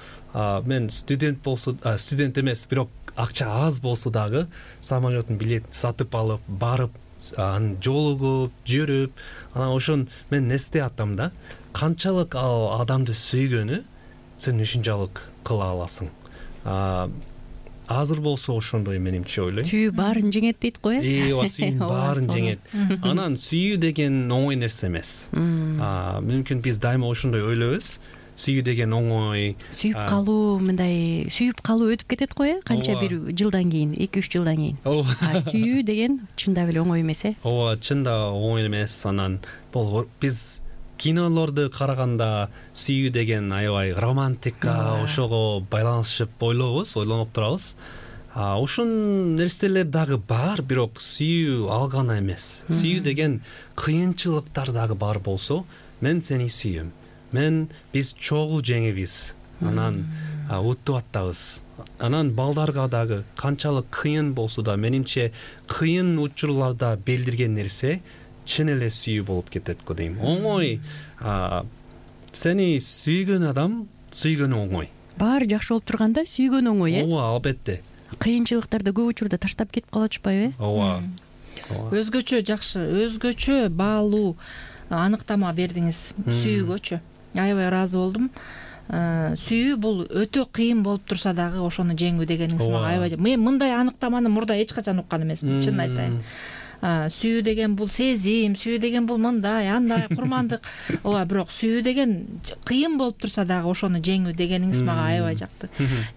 мен студент болсо, студент эмес, бирок акча аз болсо дагы самолеттун билет сатып алып, барып, анан жолугуп, жүрүп, анан ошон мен эсте атам да, канчалык ал адамды сүйгөнү сен ушунчалык кыла аласың. Азыр болсо ошондой менимче ойлойм. Сүйүү баарын жеңет дейт го, э? Ооба, сүйүү баарын жеңет. Анан сүйүү деген оңой нерсе эмес. Мүмкүн биз дайыма ошондой ойлойбуз. Сүйүү деген оңой. Сүйүп калуу, мындай сүйүп калуу өтүп кетет го, э? Канча бир жылдан кийин, эки үч жылдан кийин. А сүйүү деген чындап эле оңой эмес, э? Ооба, чында оңой эмес. Анан бул биз кинолорду караганда сүйүү деген аябай романтика, ошого байланышып ойлойбуз, ойлонуп турабыз. Ошон нерселер дагы бар, бирок сүйүү ал гана эмес. Сүйүү деген кыйынчылыктар дагы бар болсо, мен сени сүйөм. Мен биз чогуу жеңебиз. Анан уттуп аттабыз. Анан балдарга дагы канчалык кыйын болсо да, менимче кыйын учурларда билдирген нерсе чын эле сүйүү болуп кетет го дейм. Оңой, сени сүйгөн адам сүйгөнү оңой. Баары жакшы болуп турганда сүйгөн оңой, э? Ооба, албетте. Кыйынчылыктарды көп учурда таштап кетип калып атышпайбы, э? Ооба. Өзгөчө жакшы, өзгөчө баалуу аныктама бердиңиз сүйүүгөчү. Аябай ыраазы болдум. Сүйүү бул өтө кыйын болуп турса дагы ошону жеңүү дегениңиз мага аябай. Мен мындай аныктаманы мурда эч качан уккан эмесмин, чынын айтайын. сүйүү деген бул сезим, сүйүү деген бул мындай андай курмандык, ооба, бирок сүйүү деген кыйын болуп турса дагы ошону жеңүү дегениңиз мага аябай жакты.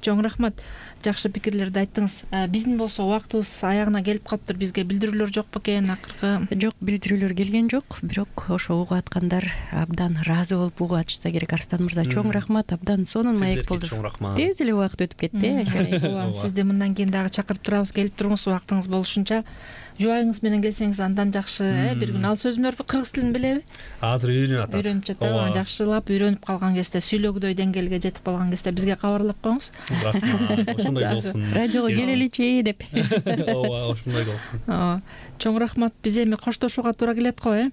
Чоң рахмат, жакшы пикирлерди айттыңыз. Биздин болсо убактыбыз аягына келип калыптыр. Бизге билдирүүлөр жок бекен акыркы? Жок, билдирүүлөр келген жок, бирок ошо угуп аткандар абдан ыраазы болуп угуп атышса керек. Арстан мырза, чоң рахмат, абдан сонун маек болду. Чоң рахмат. Тез эле убакыт өтүп кетти, Айшер. Ооба, сизди мындан кийин дагы чакырып турабыз, келип туруңуз, убактыңыз болушунча. Жубайыңыз менен келсеңиз андан жакшы. Бир күн ал сөзүн берип, кыргыз тилин билеби? Азыр үйрөнүп атат. Үйрөнүп жатат. Жакшылап үйрөнүп калган кезде, сүйлөгүдөй деңгээлге жетип калган кезде бизге кабарлап коюңуз. Рахмат. Ошондой болсун. Радиого келеличи деп. Ооба, ошондой болсун. Ооба. Чоң рахмат. Биз эми коштошууга туура келет го, э?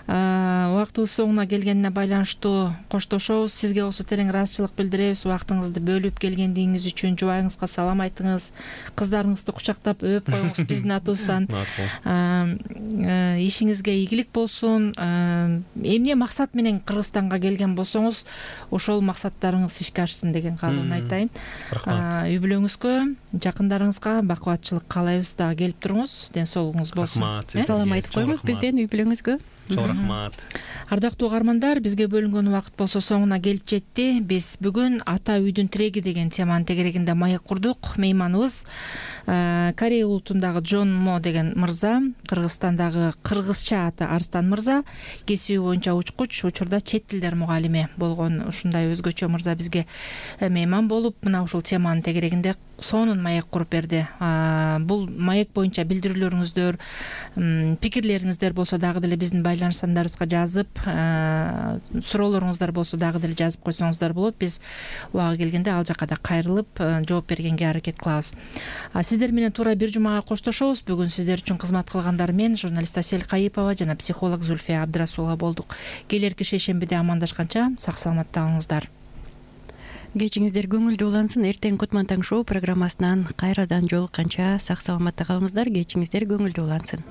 Убактыбыз соңуна келгенине байланыштуу коштошобуз. Сизге болсо терең ыраазычылык билдиребиз. Убактыңызды бөлүп келгендигиңиз үчүн, жубайыңызга салам айтыңыз, кыздарыңызды кучактап өп коюңуз биздин атыбыздан. Ишиңизге ийгилик болсун. Эмне максат менен Кыргызстанга келген болсоңуз, ошол максаттарыңыз ишке ашсын деген каалоон айтайын. Рахмат. Үй бүлөңүзгө, жакындарыңызга бакубатчылык каалайбыз. Дагы келип туруңуз, ден соолугуңуз болсун. Рахмат. Салам айтып коюңуз бизден үй бүлөңүзгө. Чоң рахмат. Ардактуу угармандар, бизге бөлүнгөн убакыт болсо соңуна келип жетти. Биз бүгүн ата үйдүн тиреги деген теманын тегерегинде маек курдук. Мейманыбыз Корея улутундагы Джон Мо деген мырза, Кыргызстандагы кыргызча аты Арстан мырза, кесиби боюнча учкуч, учурда чет тилдер мугалими болгон ушундай өзгөчө мырза бизге мейман болуп, мына ушул теманын тегерегинде сонун маек куруп берди. Бул маек боюнча билдирүүлөрүңүздөр, пикирлериңиздер болсо дагы деле биздин байланыш сандарыбызга жазып, суроолоруңуздар болсо дагы деле жазып койсоңуздар болот. Биз убагы келгенде ал жака да кайрылып жооп бергенге аракет кылабыз. Сиздер менен туура бир жумага коштошобуз. Бүгүн сиздер үчүн кызмат кылгандар мен, журналист Асель Кайыпова жана психолог Зульфия Абдрасулова болдук. Келерки шейшембиде амандашканча сак саламатта калыңыздар. Кечиңиздер көңүлдүү улансын. Эртең Кутман таң шоу программасынан кайрадан жолукканча сак саламатта калыңыздар. Кечиңиздер көңүлдүү улансын.